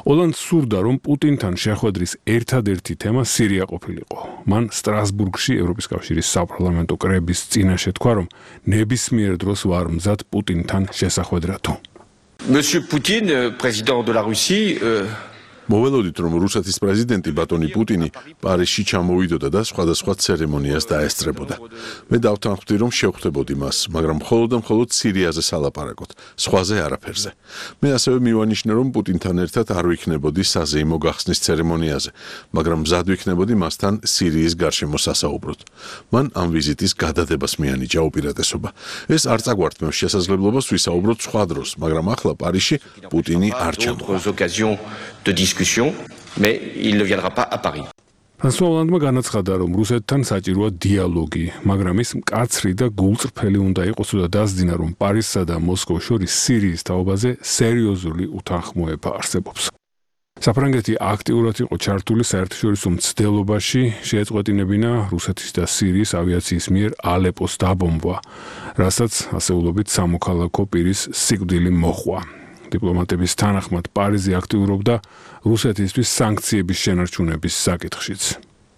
ოლანდს სურდა, რომ პუტინთან შეხვედრის ერთადერთი თემა სირია ყოფილიყო. მან სტრასბურგში ევროპის კავშირის საპარლამენტო კრების წინაშე თქვა, რომ ნებისმიერ დროს ვარ მზად პუტინთან შესახვედრათო. Monsieur Poutine, président de la Russie, მოველოდით, რომ რუსეთის პრეზიდენტი ბატონი პუტინი პარიზში ჩამოვიდოდა და სხვადასხვა ცერემონიას დაესწრებოდა. მე დავთანხმდი, რომ შევხვდებოდი მას, მაგრამ მხოლოდ და მხოლოდ სირიაზე სალაპარაკოთ, სხვაზე არაფერზე. მე ასევე მივანიშნე, რომ პუტინთან ერთად არ ვიქნებოდი საზეიმო გახსნის ცერემონიაზე, მაგრამ მზად ვიქნებოდი მასთან სირიის გარშემო სასაუბროდ. მან ამ ვიზიტის გადადებას მიანიჭა უპირატესობა. ეს არ წაგვართმევს შესაძლებლობას ვისაუბროთ სხვა დროს, მაგრამ ახლა პარიზში პუტინი არ ჩამოვა. de discussion, mais il ne viendra pas à Paris. ფრანსუა ოლანდმა განაცხადა, რომ რუსეთთან საჭიროა დიალოგი, მაგრამ ის მკაცრი და გულწრფელი უნდა იყოს და დასძინა, რომ პარიზსა და მოსკოვს შორის სირიის თაობაზე სერიოზული უთანხმოება არსებობს. საფრანგეთი აქტიურად იყო ჩართული საერთაშორისო მცდელობაში, შეეწყვეტინებინა რუსეთის და სირიის ავიაციის მიერ ალეპოს დაბომბვა, რასაც ასეულობით სამოქალაქო პირის სიკვდილი მოჰყვა. დიპლომატების თანახმად პარიზი აქტიურობდა რუსეთისთვის სანქციების შენარჩუნების საკითხშიც.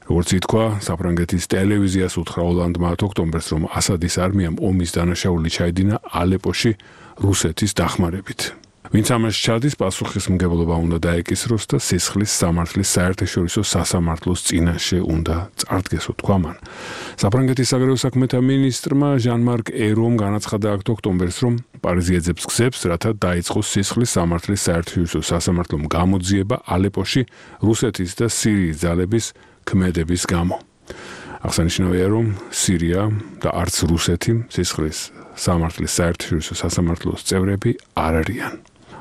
როგორც ითქვა, საფრანგეთის ტელევიზიას უთხრა ოლანდმა ოქტომბერს, რომ ასადის არმიამ ომის დანაშაული ჩაედინა ალეპოში რუსეთის დახმარებით. ვინც ამას ჩადის, პასუხისმგებლობა უნდა დაეკისროს და სისხლის სამართლის საერთაშორისო სასამართლოს წინაშე უნდა წარდგეს, თქვა მან. საფრანგეთის საგარეო საქმეთა მინისტრმა ჟან-მარკ ერომ განაცხადა ოქტომბერს, რომ პარიზი ეძებს გზებს, რათა დაიწყოს სისხლის სამართლის საერთაშორისო სასამართლომ გამოძიება ალეპოში რუსეთის და სირიის ძალების ქმედების გამო. აღსანიშნავია, რომ სირია და არც რუსეთი სისხლის სამართლის საერთაშორისო სასამართლოს წევრები არ არიან.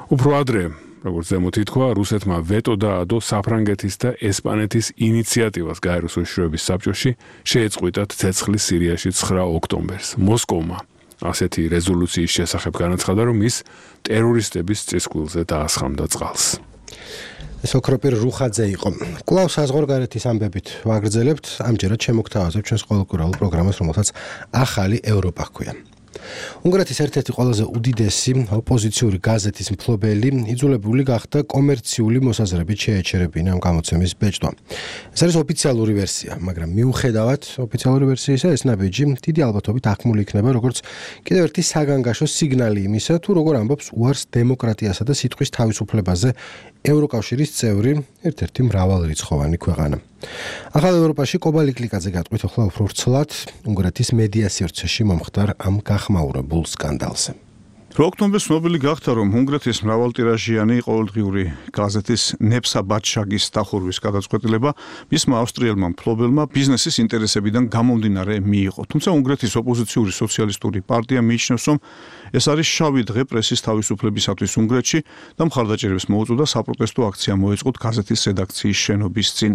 უფრო ადრე, როგორც ზემოთ ითქვა, რუსეთმა ვეტო დაადო საფრანგეთის და ესპანეთის ინიციატივას გაეროს უშიშროების საბჭოში შეეწყვიტათ ცეცხლის სირიაში 9 ოქტომბერს. მოსკოვმა ასეთი რეზოლუციის შესახებ განაცხადა, რომ ის ტერორისტების წისქვილზე დაასხამდა წყალს. ეს ოქროპირ რუხაძე იყო. კვლავ საზღვარგარეთის ამბებით ვაგრძელებთ, ამჯერად შემოგთავაზებთ ჩვენს ყოველკვირეულ პროგრამას, რომელსაც ახალი ევროპა ჰქვია. უნგრეთის ერთ-ერთი ყველაზე უდიდესი ოპოზიციური გაზეთის მფლობელი იძულებული გახდა კომერციული მოსაზრებით შეეჩერებინა ამ გამოცემის ბეჭდვა. ეს არის ოფიციალური ვერსია, მაგრამ მიუხედავად ოფიციალური ვერსიისა, ეს ნაბიჯი დიდი ალბათობით აღქმული იქნება როგორც კიდევ ერთი საგანგაშო სიგნალი იმისა, თუ როგორ ამბობს უარს დემოკრატიასა და სიტყვის თავისუფლებაზე ევროკავშირის წევრი ერთ-ერთი მრავალრიცხოვანი ქვეყანა. ახალ ევროპაში კობალი კლიკაძე გატყვით ახლა უფრო ვრცლად უნგრეთის მედია სივრცეში მომხდარ ამ გახმაურებულ სკანდალზე. ოქტომბერს ცნობილი გახდა, რომ უნგრეთის მრავალტირაჟიანი ყოველდღიური გაზეთის ნეფსა ბატშაგის დახურვის გადაწყვეტილება მისმა ავსტრიელმა მფლობელმა ბიზნესის ინტერესებიდან გამომდინარე მიიღო. თუმცა უნგრეთის ოპოზიციური სოციალისტური პარტია მიიჩნევს, რომ ეს არის შავი დღე პრესის თავისუფლებისათვის უნგრეთში და მხარდაჭერებს მოუწოდა საპროტესტო აქცია მოეწყოთ გაზეთის რედაქციის შენობის წინ.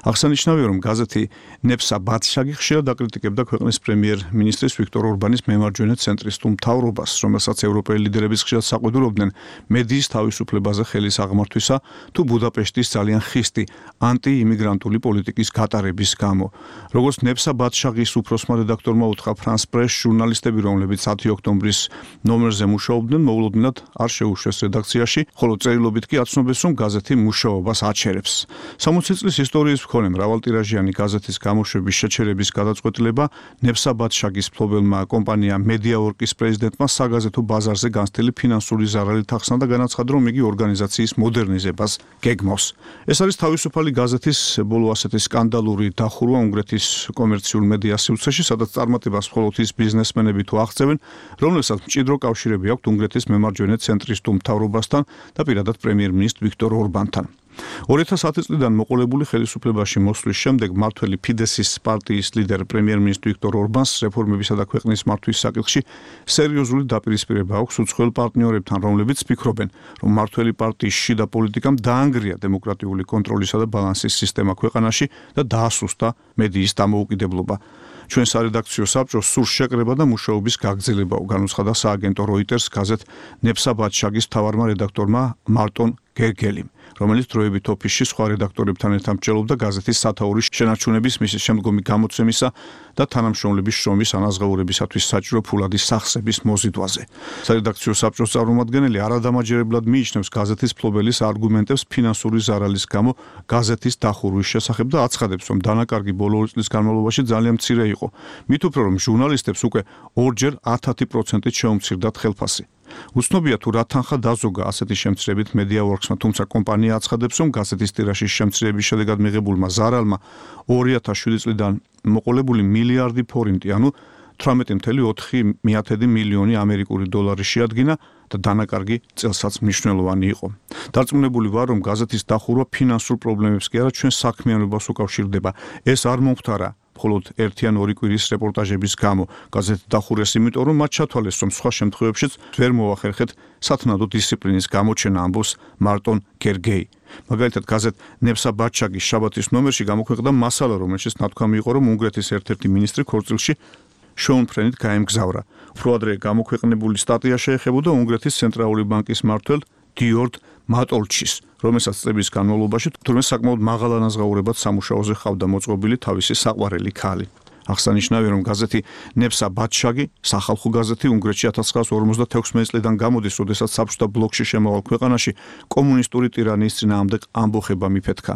აღსანიშნავია, რომ გაზეთი ნეფსა ბატშაგი ხშირად აკრიტიკებდა ქვეყნის პრემიერ-მინისტრის ვიქტორ ორბანის მემარჯვენე ცენტრისტულ მთავრობას, რომელსაც ევროპელი ლიდერები ხშირად საყვედურობდნენ მედიის თავისუფლებაზე ხელის აღმართვისა თუ ბუდაპეშტის ძალიან ხისტი ანტიიმიგრანტული პოლიტიკის გატარების გამო. როგორც ნეფსა ბატშაგის უფროსმა რედაქტორმა უთხრა ფრანს პრეს, ჟურნალისტები, რომლებიც 10 ოქტომბრის ნომერზე მუშაობდნენ, მოულოდნელად არ შეუშვეს რედაქციაში, ხოლო წერილობით კი აცნობეს, რომ გაზეთი მუშაობას აჩერებს. 60 წლის ისტორიის მქონე მრავალტირაჟიანი გაზეთის გამოშვების შეჩერების გადაწყვეტილება ნეფსა ბატშაგის მფლობელმა კომპანია მედიაორკის პრეზიდენტმა საგაზეთო ბაზარზე განცდილი ფინანსური ზარალით ახსნა და განაცხადა, რომ იგი ორგანიზაციის მოდერნიზებას გეგმავს. ეს არის თავისუფალი გაზეთის ბოლო ასეთი სკანდალური დახურვა უნგრეთის კომერციულ მედია სივრცეში, სადაც წარმატებას მხოლოდ ის ბიზნესმენები თუ აღწევენ, რომლებსაც მჭიდრო კავშირები აქვთ უნგრეთის მემარჯვენე ცენტრისტულ მთავრობასთან და პირადად პრემიერ-მინისტრ ვიქტორ ორბანთან. 2010 წლიდან მოყოლებული ხელისუფლებაში მოსვლის შემდეგ მმართველი ფიდესის პარტიის ლიდერ პრემიერ-მინისტრ ვიქტორ ორბანს რეფორმებისა და ქვეყნის მართვის საკითხში სერიოზული დაპირისპირება აქვს უცხოელ პარტნიორებთან, რომლებიც ფიქრობენ, რომ მმართველი პარტიის შიდა პოლიტიკამ დაანგრია დემოკრატიული კონტროლისა და ბალანსის სისტემა ქვეყანაში და დაასუსტა მედიის დამოუკიდებლობა. ჩვენ სარედაქციო საბჭოს სურს შეკრება და მუშაობის გაგრძელება, განუცხადა სააგენტო როიტერს გაზეთ ნეფსა ბატშაგის მთავარმა რედაქტორმა მარტონ გერგელიმ, რომელიც დროებით ოფისში სხვა რედაქტორებთან ერთად მრჩევლობდა გაზეთის სათაურის შენარჩუნების მისის შემდგომი გამოცემისა და თანამშრომლების შრომის ანაზღაურებისათვის საჭირო ფულადის სახსების მოზიდვაზე. სარედაქციო საბჭოს წარმომადგენელი არადამაჯერებლად მიიჩნევს გაზეთის მფლობელის არგუმენტებს ფინანსური ზარალის გამო გაზეთის დახურვის შესახებ და აცხადებს, რომ დანაკარგი ბოლო 2 წლის განმავლობაში ძალიან მცირე იყო. მით უფრო, რომ ჟურნალისტებს უკვე 2-ჯერ 10% შეუმცირდათ ხელფასი. უცნობია თუ რა თანხა დაზოგა ასეთი შემცირებით MediaWorks-მა, თუმცა კომპანია აცხადებს, რომ გაზეთის ტირაჟის შემცირების შედეგად მიღებულმა ზარალმა 2007 წლიდან მოყოლებული მილიარდი ფორინტი, ანუ 18.4 მილიონი ამერიკული დოლარი შეადგინა და დანაკარგი წელსაც მნიშვნელოვანი იყო. დარწმუნებული ვარ, რომ გაზეთის დახურვა ფინანსურ პრობლემებს კი არა, ჩვენ საქმიანობას უკავშირდება. ეს არ მომხდარა მხოლოდ ერთი ან ორი კვირის რეპორტაჟების გამო. გაზეთი დახურეს იმიტომ, რომ მათ ჩათვალეს, რომ სხვა შემთხვევებშიც ვერ მოახერხეთ სათნადო დისციპლინის გამოჩენა, ამბობს მარტონ გერგეი. მაგალითად, გაზეთ ნებსა ბაჩაგის შაბათის ნომერში გამოქვეყნდა მასალა, რომელშიც ნათქვამი იყო, რომ უნგრეთის ერთ-ერთი მინისტრი ქორწილში შოუნფრენით გაემგზავრა. უფრო ადრე გამოქვეყნებული სტატია შეეხებოდა უნგრეთის ცენტრალური ბანკის მმართველ დიორდ მატოლჩის, რომელსაც წლების განმავლობაში თურმე sakmaud მაღალ ანაზღაურებად სამუშაოზე ხავდა მოწყობილი თავისი საყვარელი ქალი. აღსანიშნავია, რომ გაზეთი ნებსა ბაჩაგი, სახალხო გაზეთი უნგრეთში 1956 წლიდან გამოდის, როდესაც საბჭოთა ბლოკში შემავალ ქვეყანაში კომუნისტური ტირანიის წინააღმდეგ ამბოხება მიფეთქა.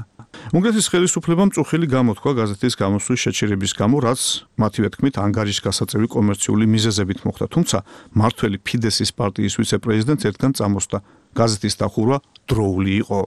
უნგრეთის ხელისუფლებამ წუხილი გამოთქვა გაზეთის გამოსვლის შეჩერების გამო, რაც მათივე თქმით ანგარიშგასაწევი კომერციული მიზეზებით მოხდა, თუმცა მმართველი ფიდესის პარტიის ვიცე-პრეზიდენტს ერთგან წამოსდა. გაზეთის დახურვა დროული იყო.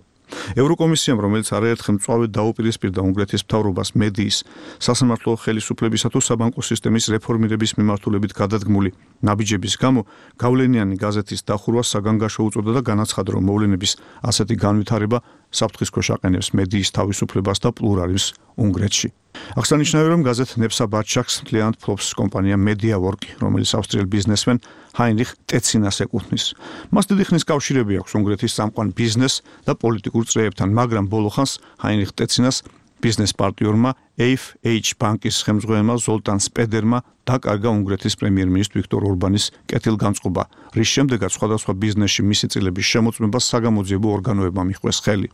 ევროკომისიამ, რომელიც არაერთხელ მწვავედ დაუპირისპირდა უნგრეთის მთავრობას მედიის, სასამართლო ხელისუფლებისა თუ საბანკო სისტემის რეფორმირების მიმართულებით გადადგმული ნაბიჯების გამო, გავლენიანი გაზეთის დახურვა საგანგაშო უწოდა და განაცხადა, რომ მოვლენების ასეთი განვითარება საფრთხის ქვეშ აყენებს მედიის თავისუფლებას და პლურალიზმს უნგრეთში. აღსანიშნავია, რომ გაზეთ ნებსა ბაჩაკს მთლიანად ფლობს კომპანია MediaWorks, რომელიც ავსტრიელ ბიზნესმენ ჰაინრიხ ტეცინას ეკუთვნის. მას დიდი ხნის კავშირები აქვს უნგრეთის წამყვან ბიზნეს და პოლიტიკურ წრეებთან, მაგრამ ბოლო ხანს ჰაინრიხ ტეცინას ბიზნეს პარტნიორმა AFH ბანკის ხელმძღვანელმა ზოლტან სპედერმა დაკარგა უნგრეთის პრემიერ-მინისტრ ვიქტორ ორბანის კეთილგანწყობა, რის შემდეგაც სხვადასხვა ბიზნესში მისი წილების შემოწმებას საგამოძიებო ორგანოებმა მიჰყვეს ხელი.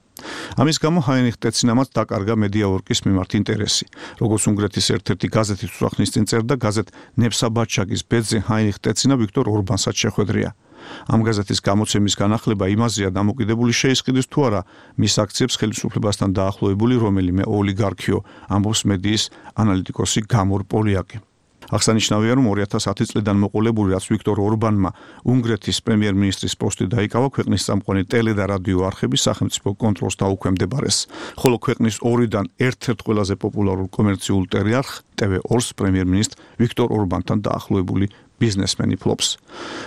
ამის გამო ჰაინრიხ ტეცინამაც დაკარგა MediaWorks მიმართ ინტერესი. როგორც უნგრეთის ერთ-ერთი გაზეთის უსახნის წინ წერდა, გაზეთ ნებსა ბაჩაგის ბედზე ჰაინრიხ ტეცინა ვიქტორ ორბანსაც შეხვედრია. ამ გაზეთის გამოცემის განახლება იმაზეა დამოკიდებული, შეისყიდის თუ არა მის აქციებს ხელისუფლებასთან დაახლოებული რომელიმე ოლიგარქიო, ამბობს მედიის ანალიტიკოსი გამორ პოლიაკი. აღსანიშნავია, რომ 2010 წლიდან მოყოლებული, რაც ვიქტორ ორბანმა უნგრეთის პრემიერ-მინისტრის პოსტი დაიკავა, ქვეყნის წამყვანი ტელე და რადიო არხების სახელმწიფო კონტროლს დაუქვემდებარეს, ხოლო ქვეყნის ორიდან ერთ-ერთ ყველაზე პოპულარულ კომერციულ ტელეარხ TV2-ს პრემიერ-მინისტრ ვიქტორ ორბანთან დაახლოებული ბიზნესმენი ფლობს.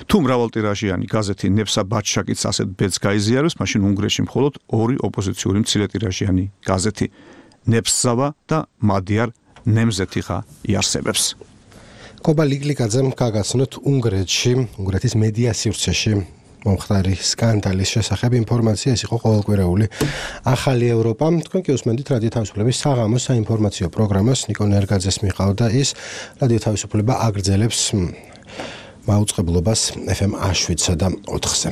თუ მრავალტირაჟიანი გაზეთი ნებსა ბაჩაკიც ასეთ ბედს გაიზიარებს, მაშინ უნგრეთში მხოლოდ ორი ოპოზიციური მცირეტირაჟიანი გაზეთი ნებსავა და მადიარ ნემზეთიხა იარსებებს. კობა ლიგლიკაძემ გაგაცნოთ უნგრეთში, უნგრეთის მედია სივრცეში მომხდარი სკანდალის შესახებ ინფორმაცია. ეს იყო ყოველკვირეული ახალი ევროპა. თქვენ კი უსმენთ რადიო თავისუფლების საღამოს საინფორმაციო პროგრამას. ნიკო ნერგაძეს მიყავდა ის. რადიო თავისუფლება აგრძელებს მაუწყებლობას FM 7-სა და 4-ზე.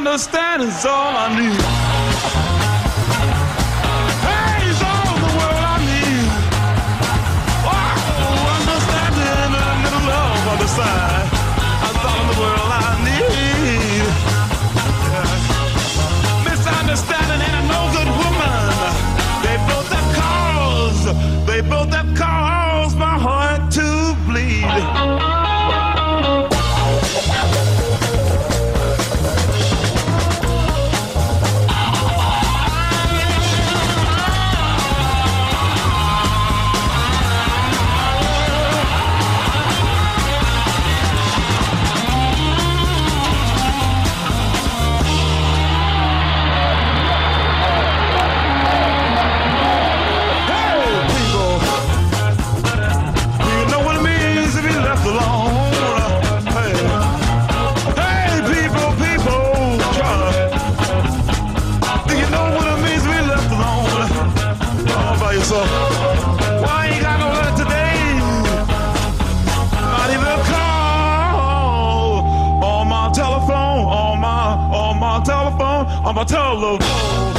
Understand is all I need. Hey, it's all the world I need. Oh, understanding and a little love on the side. That's all the world I need. Yeah. Misunderstanding and a no good woman. They both have caused my heart to bleed. you, so why ain't got no letter today? Not even a call on my telephone, on my telephone.